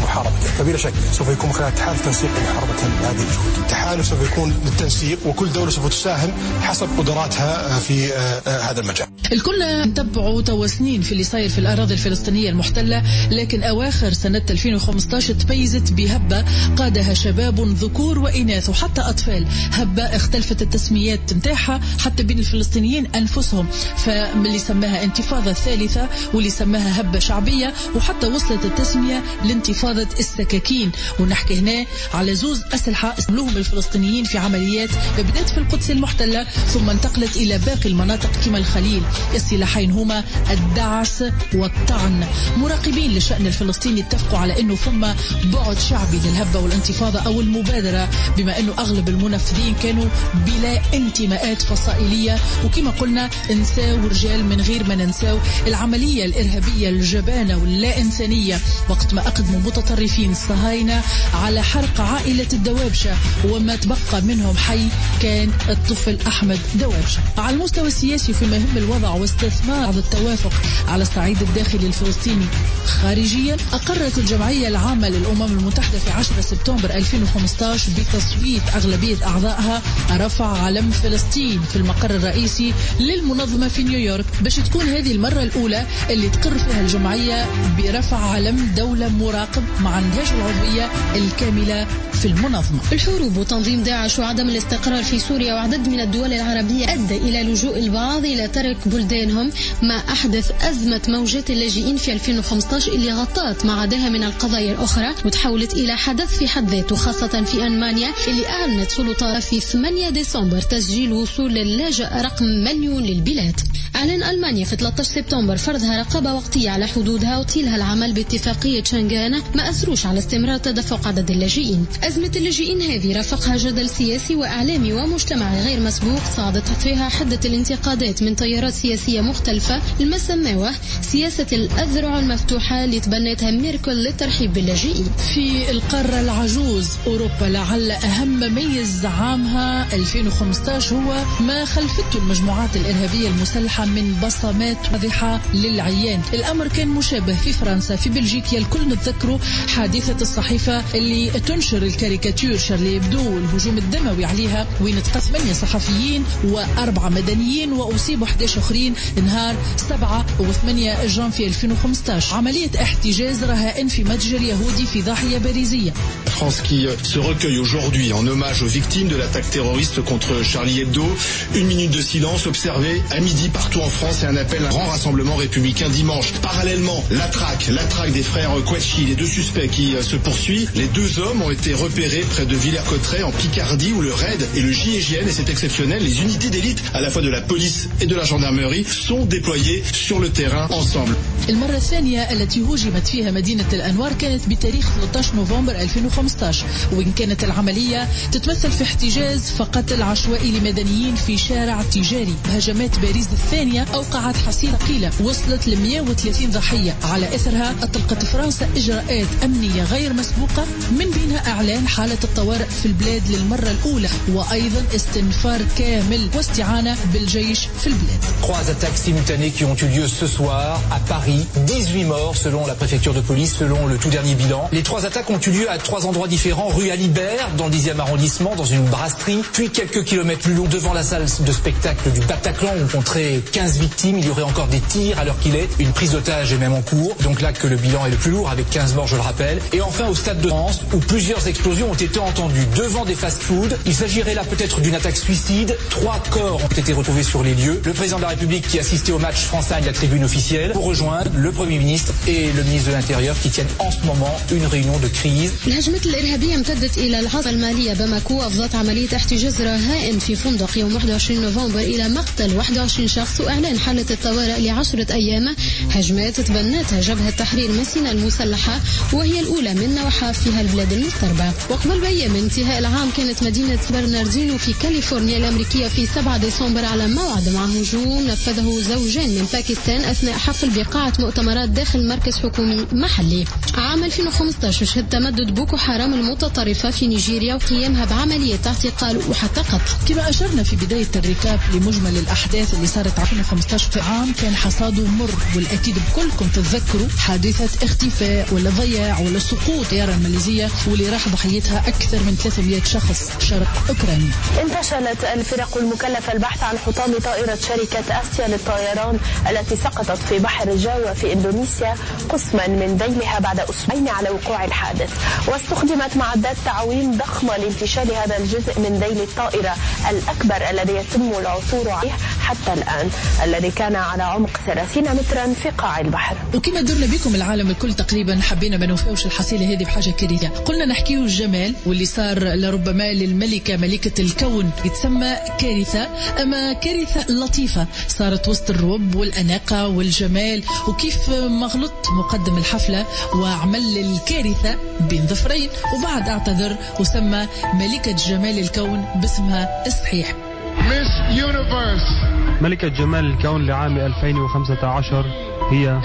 لمحاربته. فبلا شك سوف يكون خلال تحالف تنسيق لمحاربة هذه الجهود. التحالف سوف يكون للتنسيق، وكل دولة سوف تساهم حسب قدراتها في هذا المجال. الكل نتبعوا توا سنين في اللي صاير في الأراضي الفلسطينية المحتلة، لكن أواخر سنة ألفين وخمسطاش تميزت بهبة قادها شباب ذكور وإناث وحتى أطفال، هبة اختلفت التسميات متاعها حتى بين الفلسطينيين أنفسهم، فاللي سماها انتفاضة الثالثة واللي سماها هبة شعبية، وحتى وصلت التسمية لانتفاضة السكاكين. ونحكي هنا على زوز أسلحة استعملوهم الفلسطينيين في عمليات بدأت في القدس المحتلة ثم انتقلت إلى باقي المناطق كما الخليل. السلاحين هما الدعس والطعن. مراقبين للشأن الفلسطيني اتفقوا على أنه ثم بعد شعبي للهبة والانتفاضة أو المبادرة، بما أنه أغلب المنفذين كانوا بلا انتماءات فصائلية، وكما قلنا نساو رجال من غير ما ننساو العملية الإرهابية الجبانة واللا إنسانية وقت ما أقدموا متطرفين الصهاينة على حرق عائلة الدوابشة، وما تبقى منهم حي كان الطفل أحمد دوابشة. على المستوى السياسي فيما يهم الوضع واستثمار التوافق على الصعيد الداخلي الفلسطيني خارجيا، أقرت الجمعية العامة للأمم المتحدة في عشرة سبتمبر ألفين وخمسطاش بتصويت أغلبية أعضائها رفع علم فلسطين في المقر الرئيسي للمنظمة في نيويورك، باش تكون هذه المرة الأولى اللي تقر فيها الجمعية برفع علم دولة مراقب مع عندهاش العضوية الكاملة في المنظمة. الحروب وتنظيم داعش وعدم الاستقرار في سوريا وعدد من الدول العربية أدى إلى لجوء البعض إلى ترك بلدانهم، ما أحدث أزمة موجات اللاجئين في ألفين وخمسطاش اللي غطت ما عداها من القضايا الأخرى وتحولت إلى حدث في حد ذاته، خاصة في ألمانيا اللي أعلنت سلطات في ثمانية ديسمبر تسجيل وصول اللاجئ رقم مليون للبلاد. أعلن ألمانيا في ثلاثة عشر سبتمبر فرضها رقابة وقتية على حدودها وطيلها العمل باتفاقية شنغان، ما أثروش على استمرار تدفق عدد اللاجئين. أزمة اللاجئين هذه رافقها جدل سياسي وإعلامي ومجتمعي غير مسبوق، صعدت فيها حدة الانتقادات من تيارات سياسية مختلفة لما سموه سياسة الأذرع المفتوحة اللي تبنتها ميركل للترحيب باللاجئين. في القارة العجوز أوروبا لعل أهم ميز عامها ألفين وخمسطاش هو ما خلفته المجموعات الإرهابية المسلحة من بصمات واضحة للعيان. الأمر كان مشابه في فرنسا، في بلجيكا، الكل نتذكروا حادثة الصحيفة اللي تنشر الكاريكاتير شارلي إبدو والهجوم الدموي عليها، وين تقتل ثمانية صحفيين وأربعة مدنيين وأصيبوا أحد عشر آخرين نهار سبعة وثمانية جانفي ألفين وخمسطاش. عملية احتجاز رهائن في متجر يهودي في ضاحية باريزية. France qui se recueille aujourd'hui en hommage aux victimes de l'attaque terroriste contre Charlie Hebdo. Une minute de silence observée à midi partout en France et un appel à un grand rassemblement républicain dimanche. Parallèlement, la traque, la traque des frères Kouachi, les deux suspects qui se poursuit. Les deux hommes ont été repérés près de Villers-Cotterêts en Picardie où le RAID et le J I G N, et c'est exceptionnel, les unités d'élite à la fois de la police et de la gendarmerie sont déployées sur le terrain ensemble. المرة الثانية التي هوجمت فيها مدينة الأنوار كانت بتاريخ ثلاثة عشر نوفمبر ألفين وخمسطاش، وإن كانت العملية تتمثل في احتجاز فقتل عشوائي لمدنيين في شارع تجاري. هجمات باريس الثانية أوقعت حصيلة ثقيلة وصلت ل مئة وثلاثين ضحية، على إثرها أطلقت فرنسا إجراءات أمنية غير مسبوقة من بينها إعلان حالة الطوارئ في البلاد للمرة الأولى، وأيضا استنفار كامل واستعانة بالجيش في البلاد. Trois attaques simultanées qui ont eu lieu ce soir à Paris, dix-huit morts selon la préfecture de police, selon le tout dernier bilan. Les trois attaques ont eu lieu à trois endroits différents, rue Alibert dans le dixième arrondissement, dans une brasserie, puis quelques kilomètres plus loin devant la salle de spectacle du Bataclan où on compterait quinze victimes. Il y aurait encore des tirs à l'heure qu'il est, une prise d'otage est même en cours. Donc là que le bilan est le plus lourd avec quinze morts, je le rappelle. Et enfin au Stade de France où plusieurs explosions ont été entendues devant des fast-foods. Il s'agirait là peut-être d'une attaque suicide. Trois corps ont ont été retrouvés sur les lieux. Le président de la République qui assistait au match France-Inde, la tribune officielle, pour rejoindre le Premier ministre et le ministre de l'Intérieur qui tiennent en ce moment une réunion de crise. الهجمات الإرهابية امتدت إلى العاصمة المالية باماكو، أفضت عملية احتجاز رهائن في فندق يوم واحد وعشرين نوفمبر إلى مقتل واحد وعشرين شخص وإعلان حالة الطوارئ لعشرة أيام. هجمات تبنتها جبهة تحرير مسينا المسلحة وهي الأولى من نوعها في هالبلاد المضطربة. وقبل بأيام من انتهاء العام كانت مدينة برناردينو في كاليفورنيا الأمريكية في سبعة ديسمبر على موعد مع هجوم نفذه زوجان من باكستان أثناء حفل بقاعة مؤتمرات داخل مركز حكومي محلي. عام ألفين وخمسة عشر شهد تمدد بوكو حرام المتطرفة في نيجيريا وقيامها بعملية اعتقال وحتى قتل. كما أشرنا في بداية ال récap لمجمل الأحداث اللي صارت ألفين وخمسة عشر في عام كان حصاده مر، والأكيد بكلكم تتذكروا حادثة اختفاء ولا ضياع ولا سقوط طيارة الماليزية واللي راح ضحيتها أكثر من ثلاثمئة شخص شرق أوكرانيا. انتشلت الفرق المكلفة البحث عن حطام طائرة شركة آسيا للطيران التي سقطت في بحر جاوا في إندونيسيا قسما من ذيلها بعد أسبوعين على وقوع الحادث، واستخدمت معدات تعويم ضخمة لانتشال هذا الجزء من ذيل الطائرة الأكبر الذي يتم العثور عليه حتى الآن، الذي كان على عمق ثلاثين مترا في قاع البحر. وكما درنا بكم العالم الكل تقريبا حبينا ما نوفاوش الحصيلة هذه بحاجة كارثة، قلنا نحكيو الجمال واللي صار لربما للملكة ملكة الكون يتسمى كارثة، أما كارثة لطيفة صارت وسط الرب والأناقة والجمال، وكيف ما غلط مقدم الحفلة وعمل الكارثة بين ظفرين وبعد اعتذر وسمى ملكة جمال الكون باسمها الصحيح. Miss Universe. ملكة جمال الكون لعام ألفين وخمسة عشر هي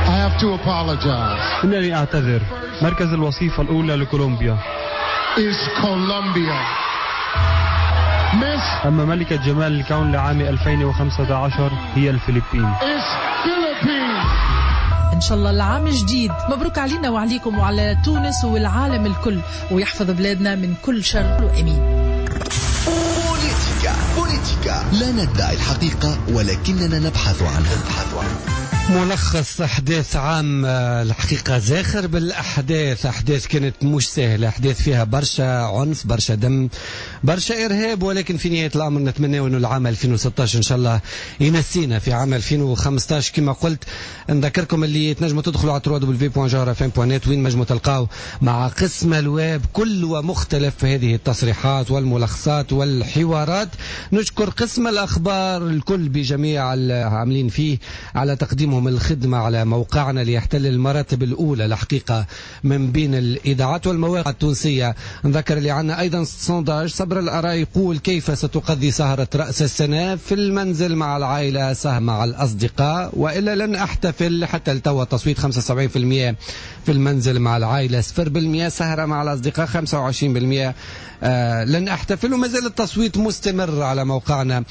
I have to apologize. إنني أعتذر. مركز الوصيفة الأولى لكولومبيا is Colombia. Miss أما ملكة جمال الكون لعام ألفين وخمسة عشر هي الفلبين is Philippines. إن شاء الله العام الجديد مبروك علينا وعليكم وعلى تونس والعالم الكل، ويحفظ بلادنا من كل شر وأمين. بوليتيكا بوليتيكا لا ندعي الحقيقة ولكننا نبحث عنها. نبحث عنها. ملخص أحداث عام الحقيقة زاخر بالأحداث، أحداث كانت مش سهلة، أحداث فيها برشا عنف، برشا دم، برشا إرهاب، ولكن في نهاية الأمر نتمنى أنه العام ألفين وستة عشر إن شاء الله ينسينا في عام ألفين وخمسة عشر. كما قلت نذكركم اللي تنجموا تدخلوا على دبليو دبليو دبليو دوت جوهرة إف إم دوت نت وين نجموا تلقاو مع قسم الويب كل ومختلف هذه التصريحات والملخصات والحوارات. نشكر قسم الأخبار الكل بجميع العاملين فيه على تقديمهم الخدمة على موقعنا ليحتل المراتب الأولى الحقيقة من بين الإذاعات والمواقع التونسية. نذكر اللي عنا أيضا sondage صبر الآراء يقول كيف ستقضي سهرة رأس السنة في المنزل مع العائلة، سهرة مع الأصدقاء، وإلا لن أحتفل. حتى التو التصويت خمسة وسبعين بالمئة في المنزل مع العائلة، صفر بالمئة سهرة مع الأصدقاء، خمسة وعشرين بالمئة آه لن أحتفل. وما زال التصويت مستمر على موقعنا.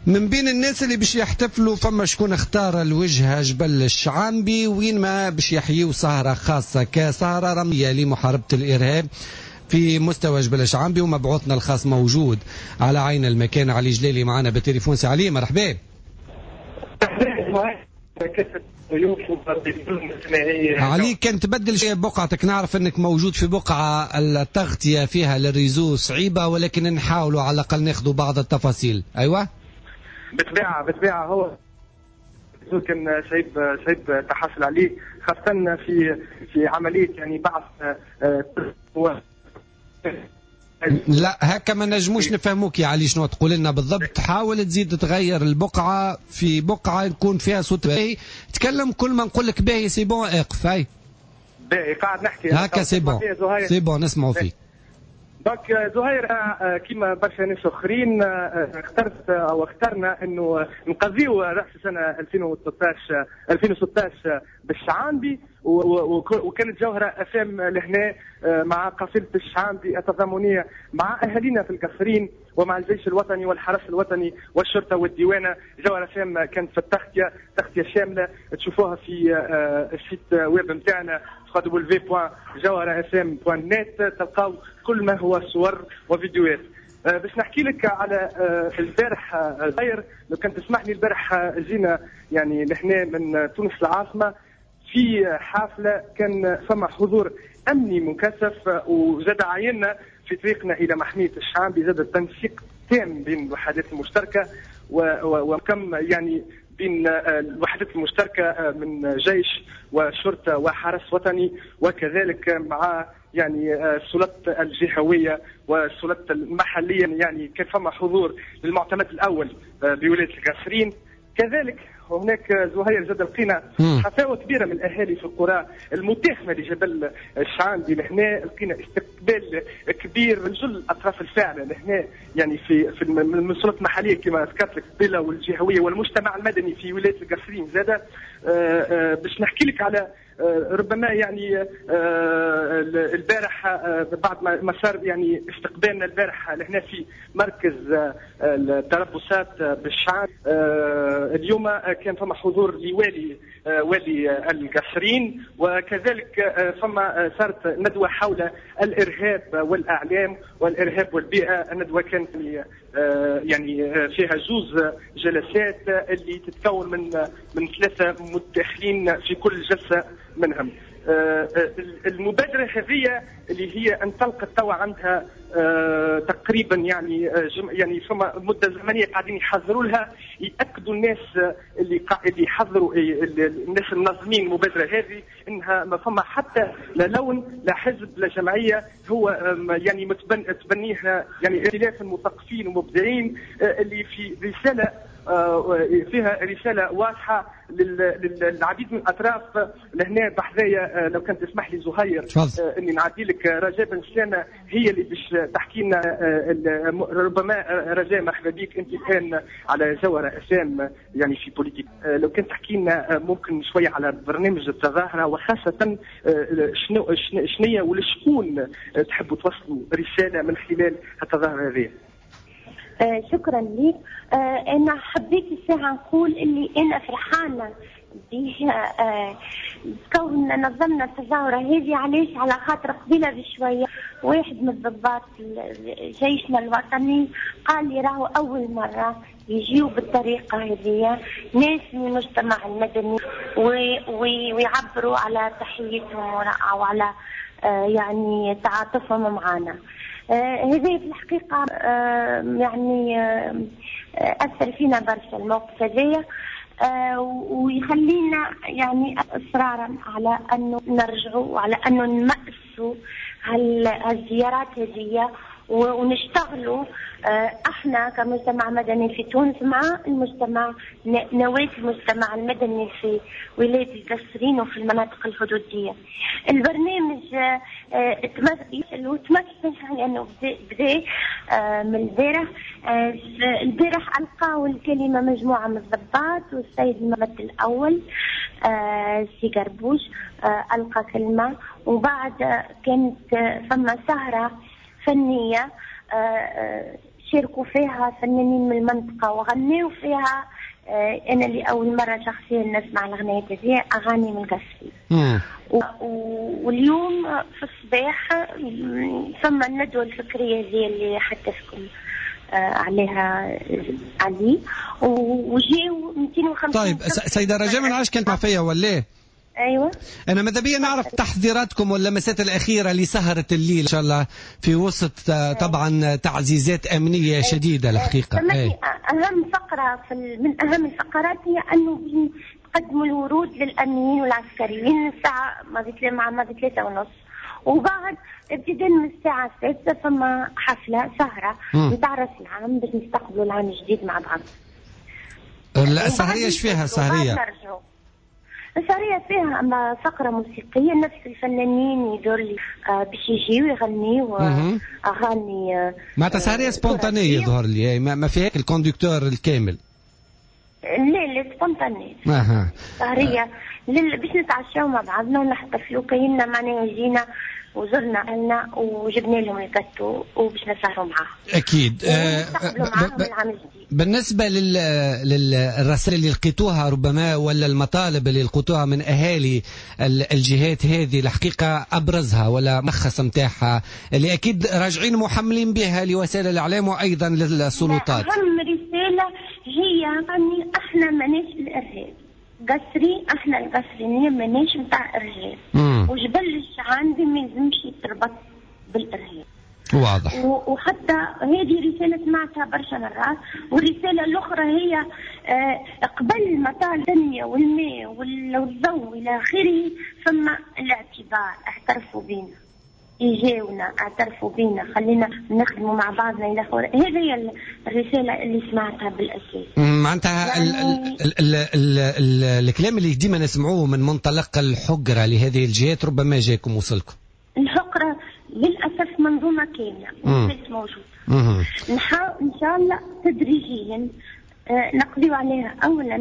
من بين الناس اللي باش يحتفلوا فما شكون اختار الوجهة جبل الشعانبي، وين ما باش يحيوا سهرة خاصة كسهرة رمية لمحاربة الإرهاب في مستوى جبل الشعانبي، ومبعوثنا الخاص موجود على عين المكان علي جلالي معنا بالتليفون. سي علي مرحبا. علي كان تبدل شيء بقعتك، نعرف انك موجود في بقعة التغطية فيها لل réseau صعيبة، ولكن نحاولوا على الأقل ناخذوا بعض التفاصيل. أيوة بطبيعة بطبيعة هو كان صعيب صعيب تحصل عليه، خاصة في في عملية يعني بعث هو لا هكا ما نجموش نفهموك يا علي شنو تقول لنا بالضبط. حاول تزيد تغير البقعة في بقعة يكون فيها صوت باهي، تكلم كل ما نقول لك باهي c'est bon اقف. هاي باهي قاعد نحكي هكا c'est bon c'est bon نسمعوا فيك. donc زهير كيما برشا ناس اخرين اخترت او اخترنا انه نقضيو راس السنة ألفين وثلاثة عشر ألفين وستة عشر بالشعانبي، وكانت جوهره اف ام لهنا مع قافله الشعانبي التضامنيه مع اهالينا في القصرين ومع الجيش الوطني والحرس الوطني والشرطة والديوانه. جوهره اف ام كانت في التغطية تغطيه شاملة تشوفوها في ال site web نتاعنا دبليو دبليو دبليو دوت جوهرة اف ام دوت نت، تلقاو كل ما هو صور وفيديوهات. باش نحكي لك على البارح غير لو كان تسمح لي، البارح جينا يعني لهنا من تونس العاصمة في حافلة. كان فما حضور أمني مكثف، وزاد عيننا في طريقنا إلى محمية الشعانبي زاد التنسيق تام بين الوحدات المشتركة وكم يعني بين الوحدات المشتركة من جيش وشرطة وحرس وطني، وكذلك مع يعني السلطات الجهوية والسلطات المحلية. يعني كان فما حضور للمعتمد الأول بولاية القصرين. كذلك هناك زهير زاد لقينا حفاوه كبيرة من الاهالي في القرى المتاخمه لجبل الشعانبي لهنا، لقينا استقبال كبير من جل الاطراف الفاعلة لهنا، يعني في في من السلطات المحلية كما ذكرت لك قبيلة والجهويه والمجتمع المدني في ولاية القصرين زاد. باش نحكي لك على ربما يعني البارح بعد ما صار يعني استقبالنا البارح لهنا في مركز التربصات بالشعب، اليوم كان فما حضور لوالي والي القصرين، وكذلك فما صارت ندوة حول الإرهاب والأعلام والإرهاب والبيئة. الندوة كانت يعني فيها زوز جلسات اللي تتكون من من ثلاثة متداخلين في كل جلسة منهم. المبادرة هذه اللي هي انطلقت توا عندها تقريبا يعني يعني فما مدة زمنية قاعدين يحضروا لها، يأكدوا الناس اللي اللي يحضروا الناس المنظمين المبادرة هذه انها ما فما حتى لا لون لا حزب لا جمعية، هو يعني متبن تبنيها يعني ائتلاف المثقفين ومبدعين اللي في رسالة فيها رسالة واضحة للعديد من الأطراف. لهنا بحذايا لو كان تسمح لي زهير اني نعدي لك رجاء بن سلامة، هي اللي باش تحكي لنا. ربما رجاء مرحبا بك انت الان على جوهرة اف ام يعني في بوليتيك، لو كان تحكي لنا ممكن شوية على برنامج التظاهرة، وخاصة شنو شنية ولشكون تحبوا توصلوا رسالة من خلال التظاهرة هذه. آه شكرا لك. آه انا حبيت الساعة نقول اللي انا فرحانة به آه كون نظمنا التظاهرة هذه. علاش؟ على خاطر قبيلة بشوية واحد من الضباط جيشنا الوطني قال لي راهو اول مرة يجيو بالطريقة هذه ناس من المجتمع المدني ويعبروا على تحيتهم او على آه يعني تعاطفهم معنا. هذا في الحقيقة يعني أثر فينا برشا الموقف هذايا، ويخلينا يعني إصرارا على أنه نرجعوا وعلى أنه نمأسوا هالزيارات هذه ونشتغلوا احنا كمجتمع مدني في تونس مع المجتمع نواة المجتمع المدني في ولاية القصرين وفي المناطق الحدودية. البرنامج تمثل لأنه بدا من البارح. البارح ألقاو الكلمة مجموعة من الضباط، والسيد الممثل الأول سي قربوش ألقى كلمة، وبعد كانت فما سهرة فنية شاركوا فيها فنانين من المنطقة وغنوا فيها. أنا اللي أول مرة شخصيا نسمع الأغنية هذه، أغاني من القصرين. واليوم في الصباح ثم الندوة الفكرية هذه اللي حدثكم عليها علي، وجاو مئتين وخمسين. طيب سيدة رجاء، ما نعرفش كانت مع فيا ولا؟ ايوه. انا ماذا بيا نعرف تحضيراتكم واللمسات الاخيرة لسهره الليل ان شاء الله في وسط طبعا تعزيزات امنية شديدة الحقيقة. أيه. اهم فقره في من اهم الفقرات هي انه تقدموا الورود للامنيين والعسكريين الساعة ماضي مع ماضي ثلاثة ونص، وبعد ابتداء من الساعة السادسة فما حفلة سهره نتاع راس العام باش نستقبلوا العام الجديد مع بعض. السهريه ايش فيها السهريه؟ السهرية فيها أما فقرة موسيقية، نفس الفنانين يدور لي باش يجيو يغنيو أغاني. معناتها سهرية spontanée يظهر لي، ما فيهاش ال conducteur الكامل. لا لا spontanée. اها. سهرية باش نتعشاو مع بعضنا ونحتفلوا، كايننا معناها جينا وزرنا أهلنا وجبنا لهم الكاتو وباش نسهروا معاهم. أكيد. معاهم العام الجديد. بالنسبة لل... للرسائل اللي لقيتوها ربما ولا المطالب اللي لقيتوها من أهالي الجهات هذه، الحقيقة أبرزها ولا ملخص متاعها اللي أكيد راجعين محملين بها لوسائل الإعلام وأيضا للسلطات؟ أهم رسالة هي يعني احنا ماناش الإرهاب. قصري احنا القصرينية ماناش نتاع ارهاب، وجبل الشعانبي ما يلزمش يتربط بالارهاب. واضح. وحتى هذه رسالة سمعتها برشا مرات. والرسالة الأخرى هي قبل ما طال التنمية والماء والضوء إلى آخره ثم الاعتبار، اعترفوا بينا، يجاونا، اعترفوا بينا، خلينا نخدموا مع بعضنا إلى آخره. هذه هي الرسالة اللي سمعتها بالأساس. معناتها يعني ال ال ال ال الكلام اللي ديما نسمعوه من منطلق الحجرة لهذه الجهات ربما جاكم وصلكم. الحقرة للأسف منظومة كاملة مازالت موجودة. نحاول إن شاء الله تدريجيا نقضي عليها، أولا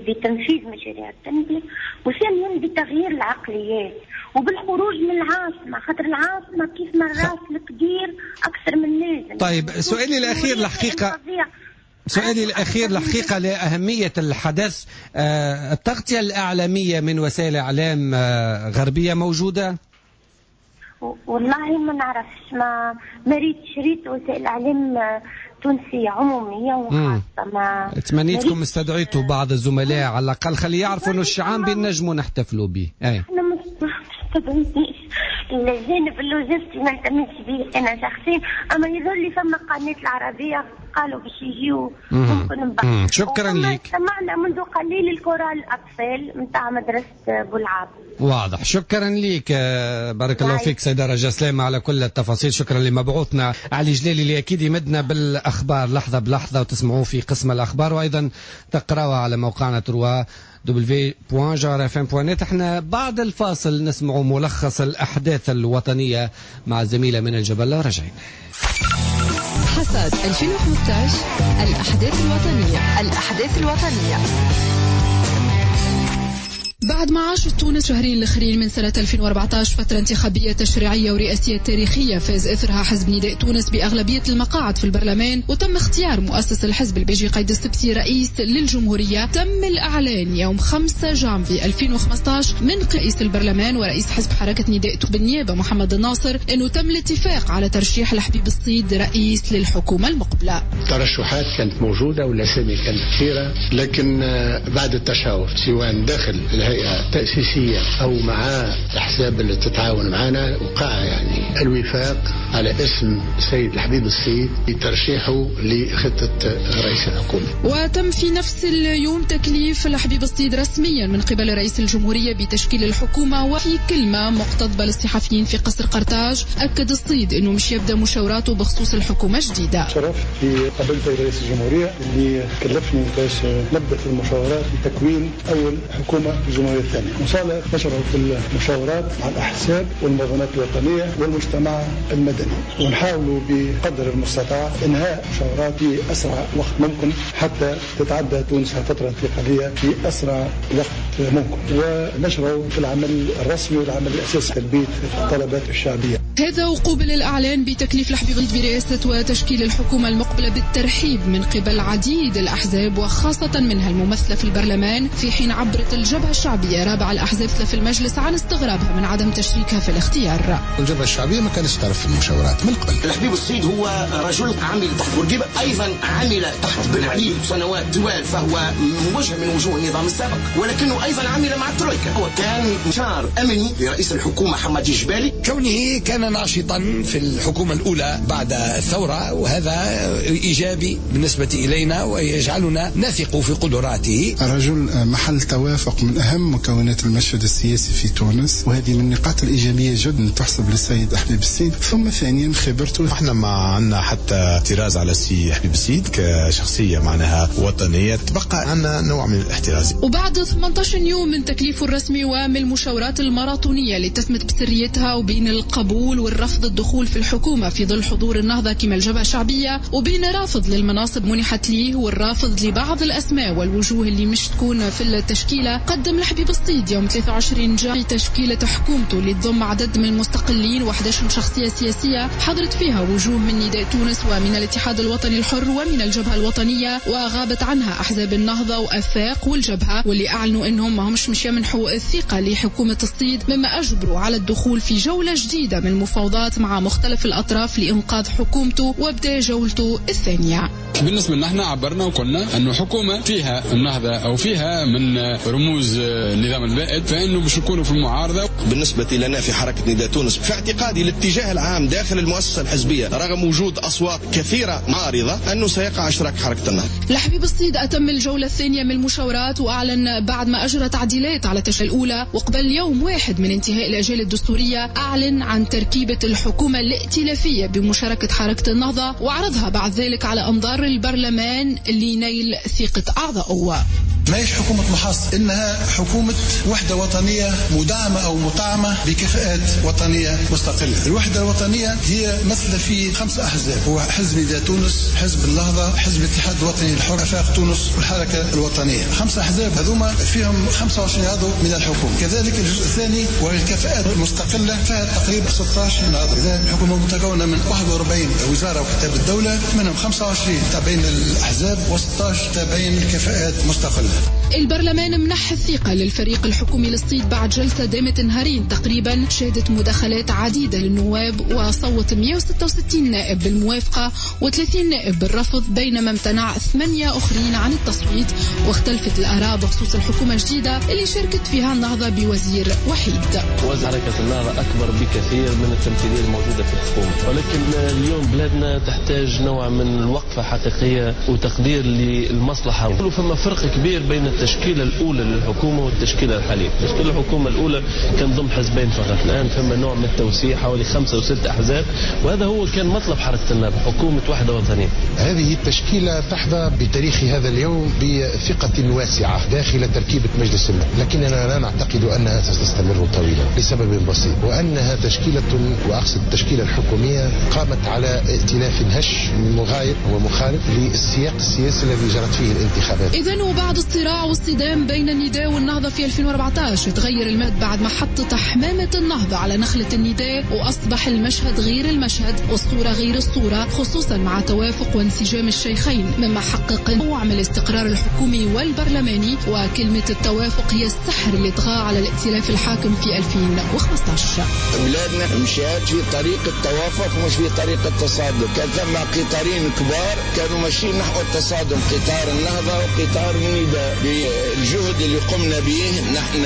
بتنفيذ مشاريع التنمية، وثانيا بتغيير العقليات وبالخروج من العاصمة، خاطر العاصمة كيف ما الراس الكبير أكثر من لازم. طيب سؤالي الأخير الحقيقة سؤالي الأخير الحقيقة لأهمية الحدث، التغطية الإعلامية من وسائل إعلام غربية موجودة؟ والله ما نعرفش، ما ما ريتش، ريت وسائل اعلام تونسية عموميه وخاصة. ما تمنيتكم استدعيتوا بعض الزملاء على الاقل خلي يعرفوا انه الشعانبي نجموا نحتفلوا به. اي احنا ما استدعيتنيش، الجانب اللوجستي ما اهتمتش به انا شخصيا، اما يظهر لي فما قناة العربية قالوا باش يجيو ممكن من بعد. شكرا لك. سمعنا منذ قليل الكورال الاطفال نتاع مدرسه بولعاب. واضح، شكرا لك، بارك الله فيك سيدة رجاء سلامة على كل التفاصيل. شكرا لمبعوثنا علي جلالي اللي اكيد يمدنا بالاخبار لحظة بلحظة وتسمعوه في قسم الاخبار، وايضا تقراوها على موقعنا trois W point جوهرة اف ام point net. احنا بعد الفاصل نسمع ملخص الاحداث الوطنية مع الزميلة من الجبل. رجعين. حصاد ألفين وخمسة عشر، الأحداث الوطنية، الأحداث الوطنية. بعد ما عاشت تونس شهرين الأخرين من سنة ألفين وأربعة عشر فترة انتخابية تشريعية ورئاسية تاريخية فاز إثرها حزب نداء تونس بأغلبية المقاعد في البرلمان، وتم اختيار مؤسس الحزب البيجي قيد السبسي رئيس للجمهورية. تم الإعلان يوم خمسة جانفي ألفين وخمسة عشر من رئيس البرلمان ورئيس حزب حركة نداء بالنيابة محمد الناصر أنه تم الاتفاق على ترشيح الحبيب الصيد رئيس للحكومة المقبلة. الترشحات كانت موجودة والأسامي كانت كثيرة، لكن بعد التشاور سواء داخل الهيئة تأسيسية أو مع الأحزاب اللي تتعاون معنا وقع يعني الوفاق على اسم سيد الحبيب الصيد لترشيحه لخطة رئيس الحكومة. وتم في نفس اليوم تكليف الحبيب الصيد رسميا من قبل رئيس الجمهورية بتشكيل الحكومة. وفي كلمة مقتضبة للصحفيين في قصر قرطاج أكد الصيد أنه مش يبدأ مشاوراته بخصوص الحكومة الجديدة. شرفت في قابلت رئيس الجمهورية اللي كلفني باش نبدأ في المشاورات لتكوين أول حكومة الجمهورية الثانية. وإن شاء الله نشرع في المشاورات مع الأحزاب والمنظمات الوطنية والمجتمع المدني، ونحاول بقدر المستطاع إنهاء مشاورات في أسرع وقت ممكن حتى تتعدى تونس فترة انتقالية في أسرع وقت ممكن، ونشرع في العمل الرسمي والعمل الأساسي تلبية الطلبات الشعبية. هذا وقوبل الإعلان بتكليف الحبيب برئاسة وتشكيل الحكومة المقبلة بالترحيب من قبل عديد الأحزاب وخاصة منها الممثلة في البرلمان، في حين عبرت الجبهة الشعبية رابع الأحزاب في المجلس عن استغرابها من عدم تشريكها في الاختيار. الجبهة الشعبية ما كانتش تعرف في المشاورات من قبل. الحبيب الصيد هو رجل عمل تحت بورقيبة، أيضا عمل تحت بن علي سنوات طوال، فهو وجه من وجوه النظام السابق، ولكنه أيضا عمل مع الترويكا وكان مشار أمني لرئيس الحكومة حماد الجبالي. كونه كان ناشطا في الحكومة الأولى بعد الثورة، وهذا إيجابي بالنسبة إلينا ويجعلنا نثق في قدراته. الرجل محل توافق من أهم مكونات المشهد السياسي في تونس، وهذه من النقاط الإيجابية جدا تحسب للسيد حبيب السيد. ثم ثانيا خبرته. احنا ما عندنا حتى اعتراض على السي حبيب السيد كشخصية معناها وطنية، تبقى عندنا نوع من الاحتراز. وبعد ثمانية عشر يوم من تكليفه الرسمي ومن المشاورات الماراثونية اللي تسمت بسريتها وبين القبول والرفض الدخول في الحكومة في ظل حضور النهضة كما الجبهة الشعبية، وبين رافض للمناصب منحت ليه والرافض لبعض الأسماء والوجوه اللي مش تكون في التشكيلة، قدم الحبيب الصيد يوم ثلاثة وعشرين جانفي تشكيلة حكومته اللي تضم عدد من المستقلين وأحد عشر شخصية سياسية حضرت فيها وجوه من نداء تونس ومن الاتحاد الوطني الحر ومن الجبهة الوطنية، وغابت عنها أحزاب النهضة وأفاق والجبهة، واللي أعلنوا أنهم ما همش مش يمنحوا الثقة لحكومة الصيد، مما أجبروا على الدخول في جولة جديدة من المفاوضات مع مختلف الأطراف لإنقاذ حكومته وابدأ جولته الثانية. بالنسبة لنا احنا عبرنا وقلنا أنه حكومة فيها النهضة أو فيها من رموز النظام البائد فإنه باش نكونوا في المعارضة. بالنسبة لنا في حركة نداء تونس في اعتقادي الاتجاه العام داخل المؤسسة الحزبية رغم وجود أصوات كثيرة معارضة أنه سيقع اشتراك حركة النهضة. الحبيب الصيد أتم الجولة الثانية من المشاورات وأعلن بعد ما أجرى تعديلات على التشكيلة الأولى، وقبل يوم واحد من انتهاء الأجال الدستورية أعلن عن تركيبة الحكومة الائتلافية بمشاركة حركة النهضة، وعرضها بعد ذلك على أنظار البرلمان لنيل ثقة أعضائه. ما هيش حكومة محاصة، إنها حكومة وحدة وطنية مدعمة أو مطعمة بكفاءات وطنية مستقلة. الوحدة الوطنية هي مثل في خمس أحزاب، هو حزب نداء تونس، حزب النهضة، حزب الاتحاد الوطني الحر، آفاق تونس، والحركة الوطنية. خمس أحزاب هذوما فيهم خمسة وعشرين عضو من الحكومة. كذلك الجزء الثاني وهي الكفاءات المستقلة فيها تقريبا ستة عشر عضو. إذا الحكومة متكونة من واحد وأربعين وزارة وكتاب الدولة، منهم خمسة وعشرين تابعين للأحزاب وستة عشر تابعين للكفاءات المستقلة. البرلمان منح الثقة للفريق الحكومي للصيد بعد جلسة دامت نهارين تقريبا، شهدت مداخلات عديدة للنواب، وصوت مئة وستة وستين نائب بالموافقة وثلاثين نائب بالرفض، بينما امتنع ثمانية أخرين عن التصويت. واختلفت الآراء بخصوص الحكومة الجديدة اللي شاركت فيها النهضة بوزير وحيد. وزن حركة النهضة أكبر بكثير من التمثيلية الموجودة في الحكومة، ولكن اليوم بلادنا تحتاج نوع من الوقفة حقيقية وتقدير للمصلحة. فما فرق كبير بين التشكيلة الأولى للحكومة والتشكيلة الحالية. تشكيلة الحكومة الأولى كان ضم حزبين فقط، الآن فما نوع من التوسيع حوالي خمسة وست أحزاب، وهذا هو كان مطلب حركة النهضة، حكومة وحدة وطنية. هذه التشكيلة تحظى بتاريخ هذا اليوم بثقة واسعة داخل تركيبة مجلس النواب، لكننا لا نعتقد أنها ستستمر طويلا لسبب بسيط، وأنها تشكيلة، وأقصد التشكيلة الحكومية، قامت على ائتلاف هش مغاير ومخالف للسياق السياسي الذي جرت فيه الانتخابات. إذن وبعد الصراع والصدام بين النداء والنهضة في ألفين وأربعة عشر تغير المد بعد ما حطت حمامة النهضة على نخلة النداء، وأصبح المشهد غير المشهد والصورة غير الصورة، خصوصا مع توافق وانسجام الشيخين، مما حقق نوع من الاستقرار الحكومي والبرلماني. وكلمة التوافق هي السحر اللي طغى على الائتلاف الحاكم في ألفين وخمسة عشر. بلادنا مشات في طريق التوافق مش في طريق التصادم. كان ثم قطارين كبار كانوا ماشيين نحو التصادم، قطار النهضة وقطار النداء. بالجهد اللي قمنا به نحن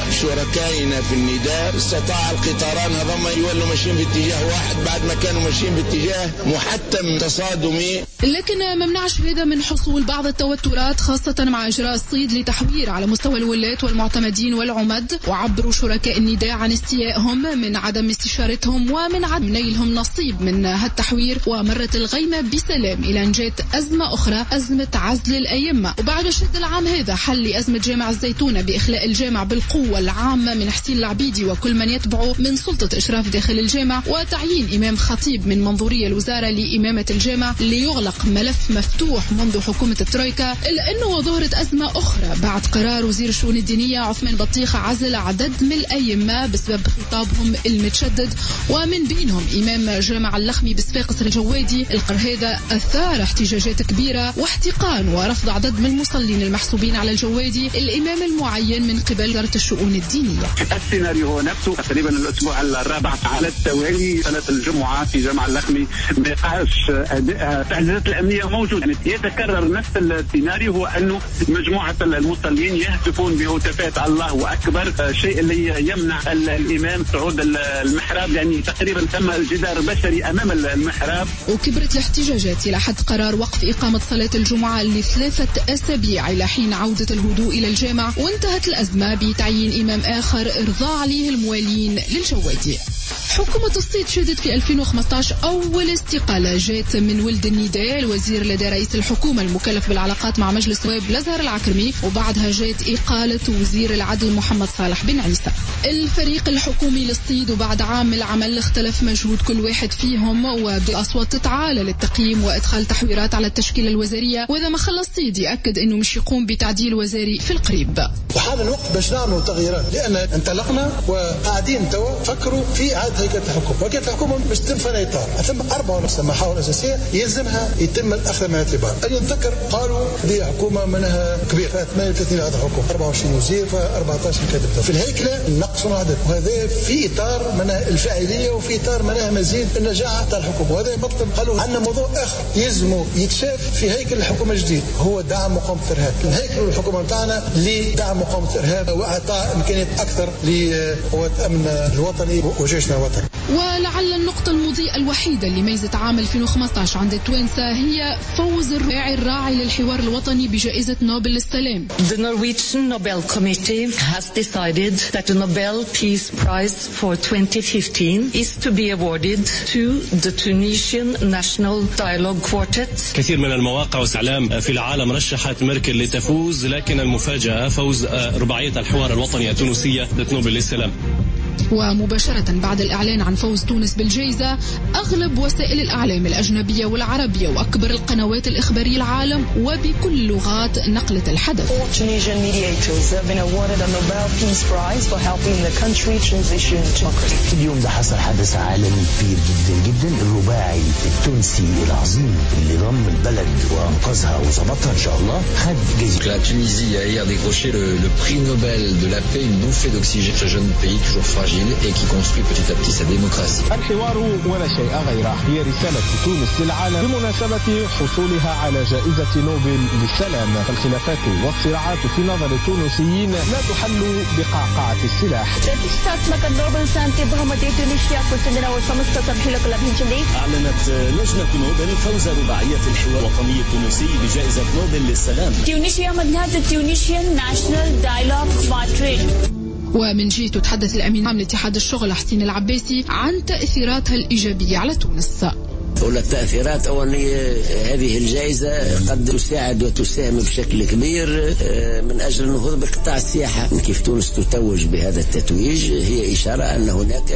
وشركائنا في النداء استطاع القطاران هذوما يولوا ماشيين باتجاه واحد بعد ما كانوا ماشيين باتجاه محتم تصادمي. لكن ما منعش هذا من حصول بعض التوترات، خاصة مع إجراء الصيد لتحوير على مستوى الولاة والمعتمدين والعمد. وعبروا شركاء النداء عن استيائهم من عدم استشارتهم ومن عدم نيلهم نصيب من هالتحوير. ومرت الغيمة بسلام إلى أن جاءت أزمة أخرى، أزمة عزل الأئمة. وبعد شد العام هذا حل أزمة جامع الزيتونة بإخلاء الجامع بالقوة العامة من حسين العبيدي وكل من يتبعه من سلطة إشراف داخل الجامع، وتعيين إمام خطيب من منظورية الوزارة لإمامة الجامع ليغلق ملف مفتوح منذ حكومة الترويكا. إلا أنه ظهرت أزمة أخرى بعد قرار وزير الشؤون الدينية عثمان بطيخ عزل عدد من الأئمة بسبب خطابهم المتشدد، ومن بينهم إمام جامع اللخمي بصفاقس الجوادي. القرار هذا أثار احتجاجات كبيرة واحتقان ورفض عدد من المصلين المحسوبين على الجوادي الإمام المعين من قبل وزارة الشؤون الدينية. السيناريو هو نفسه تقريبا الأسبوع الرابع على التوالي، صلاة الجمعة في جامع اللخمي نقاش التعزيزات الأمنية موجودة، يعني يتكرر نفس السيناريو، هو أنه مجموعة المصلين يهتفون بهتافات الله أكبر، شيء اللي يمنع الإمام صعود المحراب، يعني تقريبا تم الجدار البشري أمام المحراب. وكبرت الاحتجاجات إلى حد قرار وقف إقامة صلاة الجمعة لثلاثة أسابيع إلى حين عودة الهدوء إلى الجامع، وانتهت الأزمة بتعيين إمام آخر إرضاء عليه الموالين للجوادي. حكومة الصيد شهدت في ألفين وخمسة عشر أول استقالة جات من ولد النداء الوزير لدى رئيس الحكومة المكلف بالعلاقات مع مجلس النواب لزهر العكرمي، وبعدها جات إقالة وزير العدل محمد صالح بن عيسى. الفريق الحكومي للصيد وبعد عام العمل اختلف مجهود كل واحد فيهم، وبدأ أصوات تتعالى للتقييم وإدخال تحويرات على التشكيلة الوزارية، وإذا ما خلص الصيد يأكد أنه مش يقوم بتعديل وزاري في القريب. وحان الوقت باش نعملوا تغييرات، لأن انطلقنا وقاعدين توا فكروا في إعادة هيكلة الحكومة، وهيكلة الحكومة باش تتم في إطار ثم أربع ونص محاور أساسية يلزمها يتم الاخذ من الاعتبار. اللي نتذكر قالوا دي حكومة منها كبيرة ثمانية وثلاثين عضو حكومة، أربعة وعشرين وزير، أربعة عشر كاتب، في الهيكله نقصوا العدد، وهذا في اطار منها الفاعلية وفي اطار منها مزيد النجاعه تاع الحكومة. وهذا مطلب. قالوا عندنا موضوع اخر يلزم يتشاف في هيكل الحكومة الجديد، هو دعم مقاومة الارهاب. الهيكل الحكومة نتاعنا لدعم مقاومة الارهاب واعطاء امكانيات اكثر لقوات الامن الوطني وجيشنا الوطني. ولعل النقطة المضيئة الوحيدة اللي ميزت عام ألفين وخمسة عشر عند التوانسة هي فوز الرباعي الراعي للحوار الوطني بجائزة نوبل للسلام. The Norwegian Nobel Committee has decided that the Nobel Peace Prize for twenty fifteen is to be awarded to the Tunisian National Dialogue Quartet. كثير من المواقع والإعلام في العالم رشحت ميركل لتفوز، لكن المفاجأة فوز رباعية الحوار الوطني التونسية لنوبل للسلام. ومباشرة بعد الإعلان عن فوز تونس بالجائزة، أغلب وسائل الإعلام الأجنبية والعربية وأكبر القنوات الإخبارية العالم وبكل اللغات نقلت الحدث. اليوم ده حصل حدث عالمي كبير جدا جدا، الرباعي التونسي العظيم اللي ضم البلد وأنقذها وظبطها إن شاء الله خد جائزة. La Tunisie a hier décroché le, le prix Nobel de la paix, une bouffée d'oxygène, ce jeune pays toujours fragile et qui construit petit à petit sa démocratie. الحوار ولا شيء غيره هي رسالة تونس للعالم بمناسبة حصولها على جائزة نوبل للسلام. الخلافات والصراعات في نظر التونسيين لا تحل بقعقعة السلاح. ప్రతిష్టాత్మక నోబెల్ శాంతి బహుమతి ట్యునీషియాకు చెందిన ఓ సంస్థ సభ్యులకు లభించింది. أعلنت لجنة نوبل فوز رباعية الحوار الوطني التونسي بجائزة نوبل للسلام. ట్యునీషియా మధ్య Tunisian national dialogue quartet. ومن جهته تحدث الأمين العام لاتحاد الشغل حسين العباسي عن تأثيراتها الإيجابية على تونس. أولى التأثيرات أولا هذه الجائزة قد تساعد وتساهم بشكل كبير من أجل النهوض بقطاع السياحة. كيف تونس تتوج بهذا التتويج هي إشارة أن هناك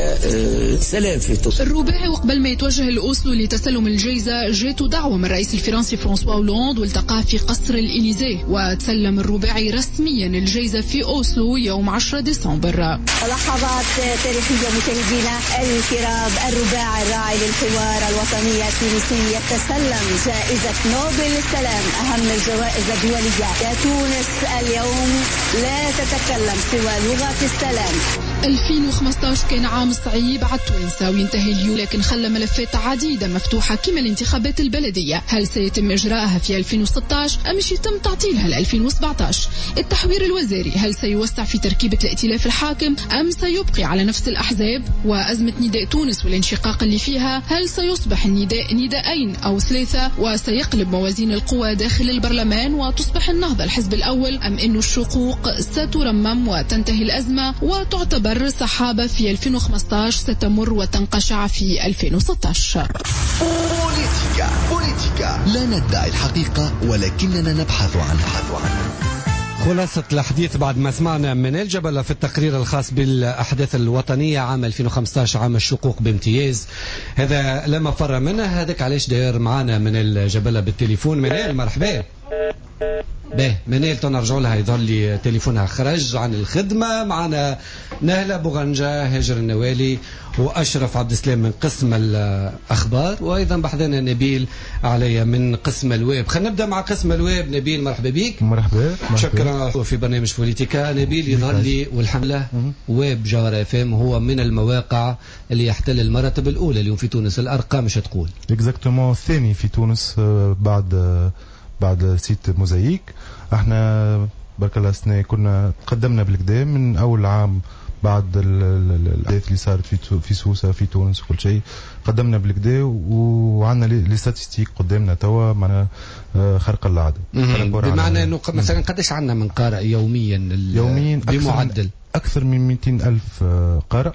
سلام في تونس. الرباعي وقبل ما يتوجه لأوسلو لتسلم الجائزة جاته دعوة من الرئيس الفرنسي فرانسوا هولاند والتقاه في قصر الإليزيه، وتسلم الرباعي رسميا الجائزة في أوسلو يوم عشرة ديسمبر. لحظات تاريخية مشاهدينا الكرام، الرباعي الراعي للحوار الوطني التونسي يتسلم جائزة نوبل للسلام، أهم الجوائز الدولية. يا تونس اليوم لا تتكلم سوى لغة السلام. ألفين وخمسة عشر كان عام صعيب على التوانسة وينتهي اليوم، لكن خلى ملفات عديدة مفتوحة كما الانتخابات البلدية، هل سيتم إجراءها في ألفين وستة عشر أم يتم تعطيلها ل ألفين وسبعة عشر؟ التحوير الوزاري هل سيوسع في تركيبة الائتلاف الحاكم أم سيبقي على نفس الأحزاب؟ وأزمة نداء تونس والانشقاق اللي فيها، هل سيصبح النداء نداءين أو ثلاثة وسيقلب موازين القوى داخل البرلمان وتصبح النهضة الحزب الأول، أم أن الشقوق سترمم وتنتهي الأزمة وتعتبر سحابة في ألفين وخمسة عشر ستمر وتنقشع في ألفين وستة عشر؟ بوليتيكا بوليتيكا لا ندعي الحقيقة ولكننا نبحث عنها. خلاصة الحديث بعد ما سمعنا من الجبل في التقرير الخاص بالأحداث الوطنية عام ألفين وخمسة عشر، عام الشقوق بامتياز، هذا لما فر منه. هذاك علاش داير معانا من الجبل بالتليفون. منال مرحبا. به منال تنرجعوا لها، يظهر لي تليفونها خرج عن الخدمة. معنا نهلة بوغنجة، هاجر النوالي، وأشرف عبد السلام من قسم الأخبار، وأيضا بحذنا نبيل عليا من قسم الويب. خلينا نبدأ مع قسم الويب. نبيل مرحبا بك. مرحبا. شكرا في برنامج بوليتيكا. نبيل يظهر لي والحملة ويب جوهرة اف ام هو من المواقع اللي يحتل المراتب الأولى اليوم في تونس، الأرقام مش تقول exactement الثاني في تونس بعد بعد site موزايك. احنا برك الله سنة كنا تقدمنا بالقدا من اول عام بعد الاحداث اللي صارت في في سوسة في تونس وكل شيء، قدمنا بالقدا وعندنا les statistiques قدامنا توا معنا خرق العادة. بمعنى انه مثلا قداش عندنا من قارئ يوميا؟ يوميا بمعدل اكثر من مئتين ألف قارئ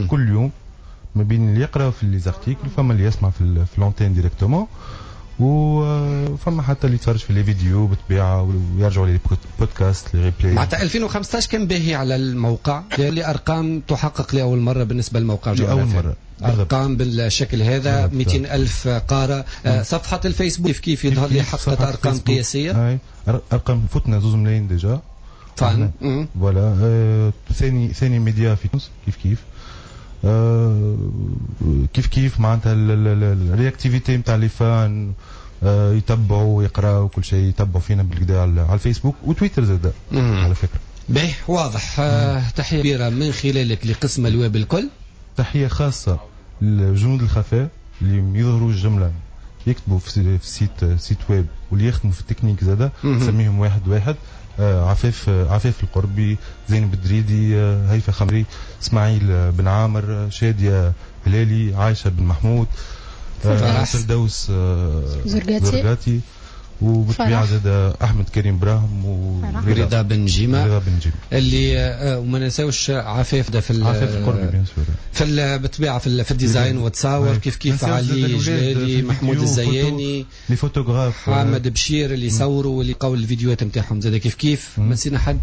كل يوم، ما بين اللي يقرا في les articles، فما اللي يسمع في في l'antenne directement، وفما حتى اللي يتفرج في les vidéos بالطبيعة ويرجعوا les podcasts les replays. معناتها ألفين وخمسة عشر كان باهي على الموقع، لأن ارقام تحقق لاول مرة بالنسبة للموقع لاول مرة ارقام بالشكل هذا، مئتين ألف قارئ. صفحة الفيسبوك كيف كيف يظهر لي حققت ارقام قياسية، ارقام فتنا زوز ملايين déjà fans. voilà ثاني ثاني ميديا في تونس كيف كيف آه كيف كيف معناتها ال réactivité نتاع les fans يتبعوا ويقراوا كل شيء، يتبعوا فينا بالكدا على الفيسبوك وتويتر زاد على فكرة. باهي واضح. آه تحية كبيرة من خلالك لقسم الويب الكل. تحية خاصة لجنود الخفاء اللي يظهروا الجملة، يكتبوا في site site web واللي يخدموا في التكنيك زاده، نسميهم واحد واحد. آه عفاف عفاف القربي، زينب الدريدي، آه هيفا خمري، اسماعيل بن عامر، شاديه هلالي، عايشه بن محمود، آه فردوس آه زرقاتي، وبالطبيعه زاد احمد كريم براهم ورضا بن جيمه، رضا بن جيمه اللي آه وما ننساوش عفاف ده في عفاف القربي bien sûr في بالطبيعة في, في ال design وتصاور كيف كيف، علي جلالي، محمود الزياني، les photographes، محمد بشير اللي صوروا واللي قاو الفيديوهات نتاعهم زاد كيف كيف. ما نسينا حد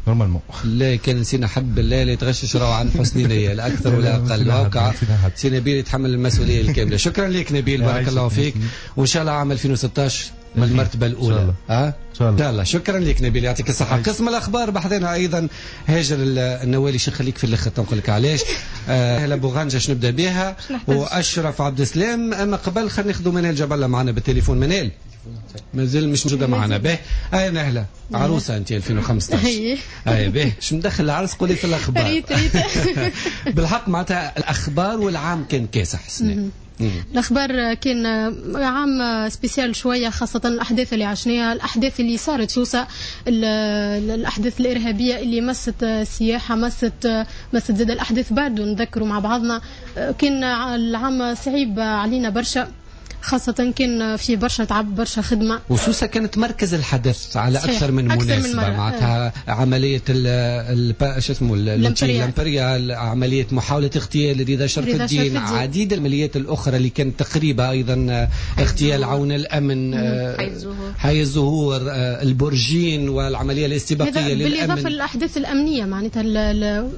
normalement؟ لا كان نسينا حد بالله لا يتغشش راهو عن حسن نيه لا اكثر ولا اقل. وقع سي نبيل يتحمل المسؤولية الكاملة. شكرا لك نبيل، بارك الله فيك، وان شاء الله عام ألفين وستة عشر من المرتبة الاولى. ها ان شاء الله. شكرا لك نبيل، يعطيك الصحة. قسم الاخبار بحذنا ايضا هاجر النوالي، شو نخليك في الاخر تنقول لك علاش. اهلا بوغانجا باش نبدا بها، واشرف عبد السلام. اما قبل خلينا ناخذوا منال جبله معنا بالتليفون. منال مازال مش موجودة معنا. به هاي نهله عروسه انت ألفين وخمسة عشر. اي به شو مدخل العرس قولي في الاخبار. ريت ريت بالحق معناتها الاخبار والعام كان كاسح السنة. الاخبار كان عام spécial شوية، خاصة الاحداث اللي عشناها، الاحداث اللي صارت سوسة، الاحداث الارهابية اللي مست السياحة، مست مست زاد الاحداث بعد نذكروا مع بعضنا. كان العام صعيب علينا برشا، خاصة كان في برشا تعب، برشا خدمة. وسوسة كانت مركز الحدث على أكثر من مناسبة، معناتها عملية ال شو اسمه الامبريال، عملية محاولة اغتيال رضا شرف الدين، عديد العمليات الأخرى اللي كانت تقريبا أيضا اغتيال عون الأمن، حي الزهور، البرجين، والعملية الاستباقية للأمن. بالإضافة للأحداث الأمنية معناتها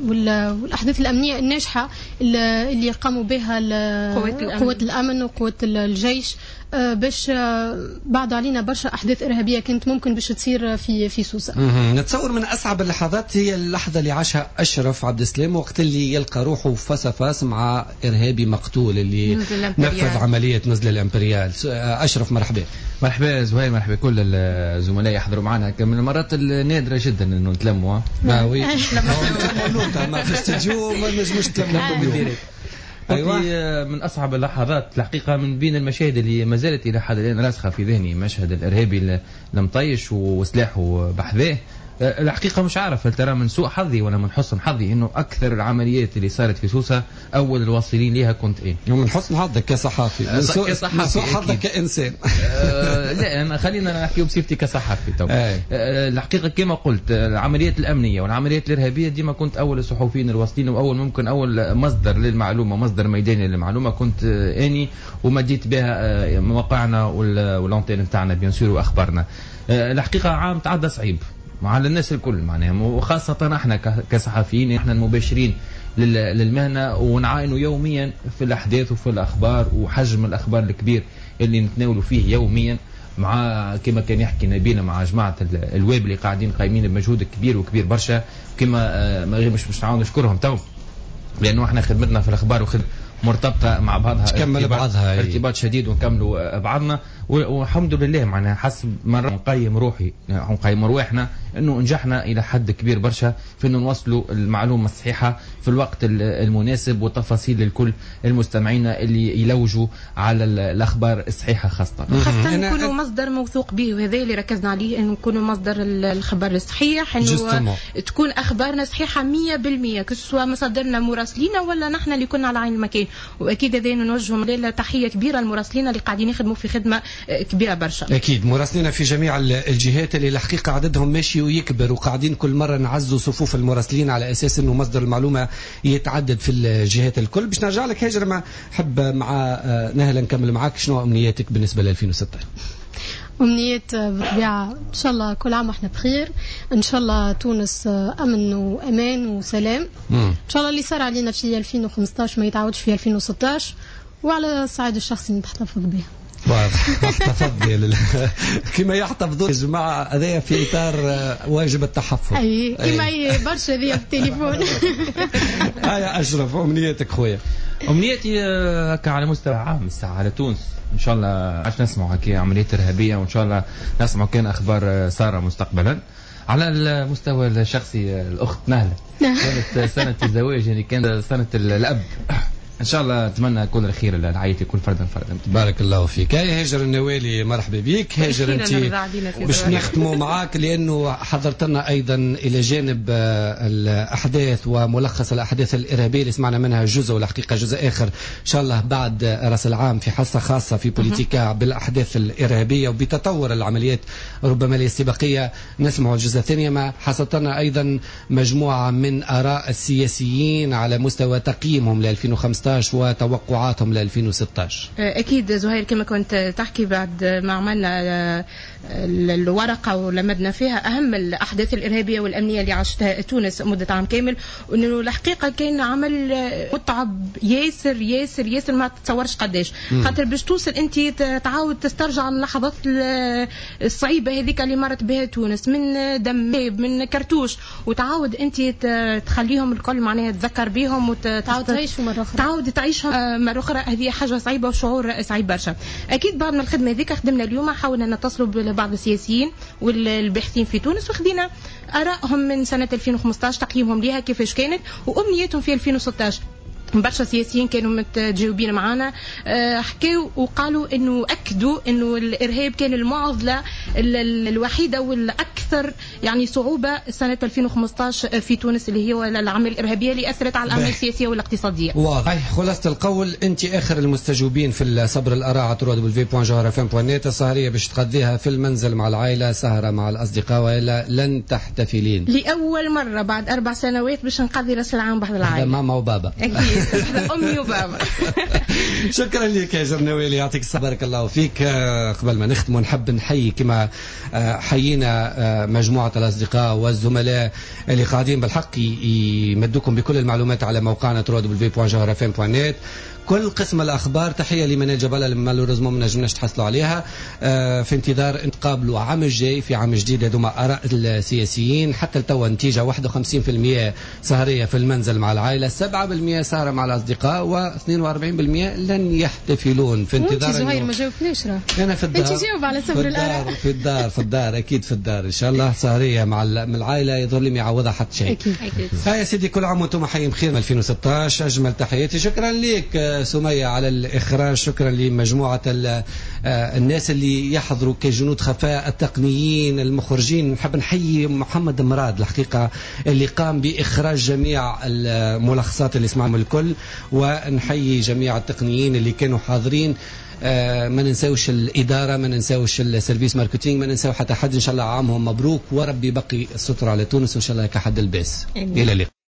والأحداث الأمنية الناجحة اللي قاموا بها قوات الأمن وقوات الجيش باش بعد علينا برشا احداث ارهابية كانت ممكن باش تصير في في سوسة. نتصور من اصعب اللحظات هي اللحظة اللي عاشها اشرف عبد السلام وقت اللي يلقى روحه face à face مع ارهابي مقتول اللي نفذ عملية نزل الامبريال. اشرف مرحبا. مرحبا زهير، مرحبا كل الزملاء يحضروا معنا. من المرات النادرة جدا انه نتلموا. ما oui ما في استوديو ما نجموش نتلموا. أيوة. من أصعب اللحظات الحقيقة، من بين المشاهد اللي ما زالت إلى حد الآن راسخة في ذهني، مشهد الإرهابي المطيش وسلاحه بحذاه. الحقيقة مش عارف هل ترى من سوء حظي ولا من حسن حظي إنه أكثر العمليات اللي صارت في سوسة أول الواصلين لها كنت إيه. من حسن حظك كصحافي، من سوء, من سوء حظك كإنسان. أه لا خلينا نحكيو بصفتي كصحافي تو. أه الحقيقة كما قلت العمليات الأمنية والعمليات الإرهابية ديما كنت أول الصحفيين الواصلين، وأول ممكن أول مصدر للمعلومة، مصدر ميداني للمعلومة كنت أني، ومديت بها مواقعنا وال antenne نتاعنا bien sûr وأخبارنا. الحقيقة عام تعدى صعيب على الناس الكل معناها، وخاصة احنا كصحفيين، احنا المباشرين للمهنة ونعاينوا يوميا في الأحداث وفي الأخبار وحجم الأخبار الكبير اللي نتناولوا فيه يوميا، مع كما كان يحكي نبينا مع جماعة الويب اللي قاعدين قايمين بمجهود كبير وكبير برشا، كما ما غير مش مش نعاود نشكرهم تو، لأنه احنا خدمتنا في الأخبار وخدمة مرتبطة مع بعضها، تكمل بعضها ارتباط شديد ونكملوا بعضنا، والحمد لله معناها حسب ما نقيم روحي نقيم رواحنا انه نجحنا الى حد كبير برشا في انه نوصلوا المعلومة الصحيحة في الوقت المناسب والتفاصيل لكل المستمعين اللي يلوجوا على الاخبار الصحيحة، خاصة خاصة نكونوا مصدر موثوق به، وهذا اللي ركزنا عليه انه نكونوا مصدر الخبر الصحيح، انه تكون اخبارنا صحيحه مية بالمية كسوا مصادرنا مراسلينا ولا نحن اللي كنا على عين المكان. واكيد هذا نوجه تحية كبيرة للمراسلين اللي قاعدين يخدموا في خدمة كبيرة برشا. اكيد مراسلين في جميع الجهات اللي الحقيقة عددهم ماشي ويكبر، وقاعدين كل مرة نعزوا صفوف المراسلين على اساس انه مصدر المعلومة يتعدد في الجهات الكل. باش نرجع لك هاجر، ما حب مع نهله نكمل معاك، شنو امنياتك بالنسبة ل ألفين وستة؟ أمنيات بالطبيعة إن شاء الله كل عام وإحنا بخير، إن شاء الله تونس أمن وأمان وسلام، مم. إن شاء الله اللي صار علينا في ألفين وخمسطاش ما يتعودش في ألفين وستطاش، وعلى الصعيد الشخصي نتحتفظ به. واضح، احتفظ كما يحتفظوا يا جماعة، هذايا في اطار واجب التحفظ. اي كما برشا هذيا في التليفون. هيا اشرف، امنيتك خويا؟ امنيتي هكا على مستوى عام الساعة على تونس، ان شاء الله عادش نسمعوا هكا عمليات ارهابية، وان شاء الله نسمعوا كان اخبار ساره مستقبلا. على المستوى الشخصي الاخت نهله كانت سنة الزواج، يعني كانت سنة الاب، ان شاء الله اتمنى كل الخير لعائلتي كل فردا فردا. بارك الله فيك. هاي هاجر النوالي، مرحبا بك هاجر. انت باش نختموا معاك لانه حضرت لنا ايضا الى جانب الاحداث وملخص الاحداث الارهابية اللي سمعنا منها جزء، والحقيقة جزء اخر ان شاء الله بعد راس العام في حصة خاصة في بوليتيكا بالاحداث الارهابية وبتطور العمليات ربما الاستباقيه، نسمع الجزء الثاني. ما حصلت لنا ايضا مجموعة من اراء السياسيين على مستوى تقييمهم ل ألفين وخمسة عشر وتوقعاتهم ل ألفين وستة عشر. أكيد زهير، كما كنت تحكي بعد ما عملنا الورقة ولمدنا فيها أهم الأحداث الإرهابية والأمنية اللي عاشتها تونس مدة عام كامل، وأنه الحقيقة كان عمل متعب ياسر ياسر ياسر، ما تتصورش قداش، خاطر باش توصل أنت تعاود تسترجع اللحظات الصعيبة هذيك اللي مرت بها تونس من دم من كرتوش، وتعاود أنت تخليهم الكل معناها تذكر بهم وتعاود تعيشهم مرة أخرى، تعاود تعيشها مرة أخرى. هذه حاجة صعيبة وشعور صعيب برشا. أكيد بعد من الخدمة هذيك خدمنا اليوم، حاولنا نتصلوا ببعض السياسيين والباحثين في تونس وخدينا آرائهم من سنة ألفين وخمسة عشر، تقييمهم ليها كيفاش كانت وأمنيتهم في ألفين وستة عشر. برشا سياسيين كانوا متجاوبين معنا، حكاوا وقالوا انه اكدوا انه الارهاب كان المعضلة الوحيدة والاكثر يعني صعوبة سنة ألفين وخمسة عشر في تونس، اللي هي العملية الارهابية اللي اثرت على الاعمال السياسية والاقتصادية. واضح. خلاصه القول انت اخر المستجوبين في صبر الاراء على دبليو دبليو دوت جوهرة اف ام دوت نت. السهريه باش تقضيها في المنزل مع العائلة، سهره مع الاصدقاء، والا لن تحتفلين؟ لاول مرة بعد اربع سنوات باش نقضي راس العام بحذا العائلة، ماما وبابا. اكيد أمي وبابا. شكرا لك يا جرنويلي، يعطيك الصحة، بارك الله فيك. قبل ما نختم نحب نحيي كما حيينا مجموعة الأصدقاء والزملاء اللي قاعدين بالحق يمدوكم بكل المعلومات على موقعنا دبليو دبليو دبليو دوت جوهرة اف ام دوت نت. كل قسم الأخبار. تحية لمنال جبالة اللي malheureusement ما نجمناش تحصلوا عليها، في انتظار نتقابلوا عام الجاي في عام جديد. هذوما آراء السياسيين حتى لتوا، نتيجة واحد وخمسين بالمئة سهرية في المنزل مع العائلة، سبعة بالمئة سهرة مع الأصدقاء، واثنين وأربعين بالمئة لن يحتفلون. في انتظار زهير ما جاوبناش، راه أنا في الدار، أنت جاوب على سبر الآراء. في الدار في الدار أكيد في الدار إن شاء الله سهرية مع العائلة، يظهر لي ما يعوضها حتى شيء. أكيد أكيد. هيا يا سيدي، كل عام وأنتم حيين بخير. ألفين وستة عشر أجمل تحياتي. شكرا لك سمية على الإخراج، شكرا لمجموعة الناس اللي يحضروا كجنود خفاء، التقنيين، المخرجين. نحب نحيي محمد مراد الحقيقة اللي قام بإخراج جميع الملخصات اللي سمعهم الكل، ونحيي جميع التقنيين اللي كانوا حاضرين. آه ما ننساوش الإدارة، ما ننساوش ال service marketing، ما ننساو حتى حد. إن شاء الله عامهم مبروك، وربي بقي الستر على تونس، وإن شاء الله كحد الباس. إلى اللقاء.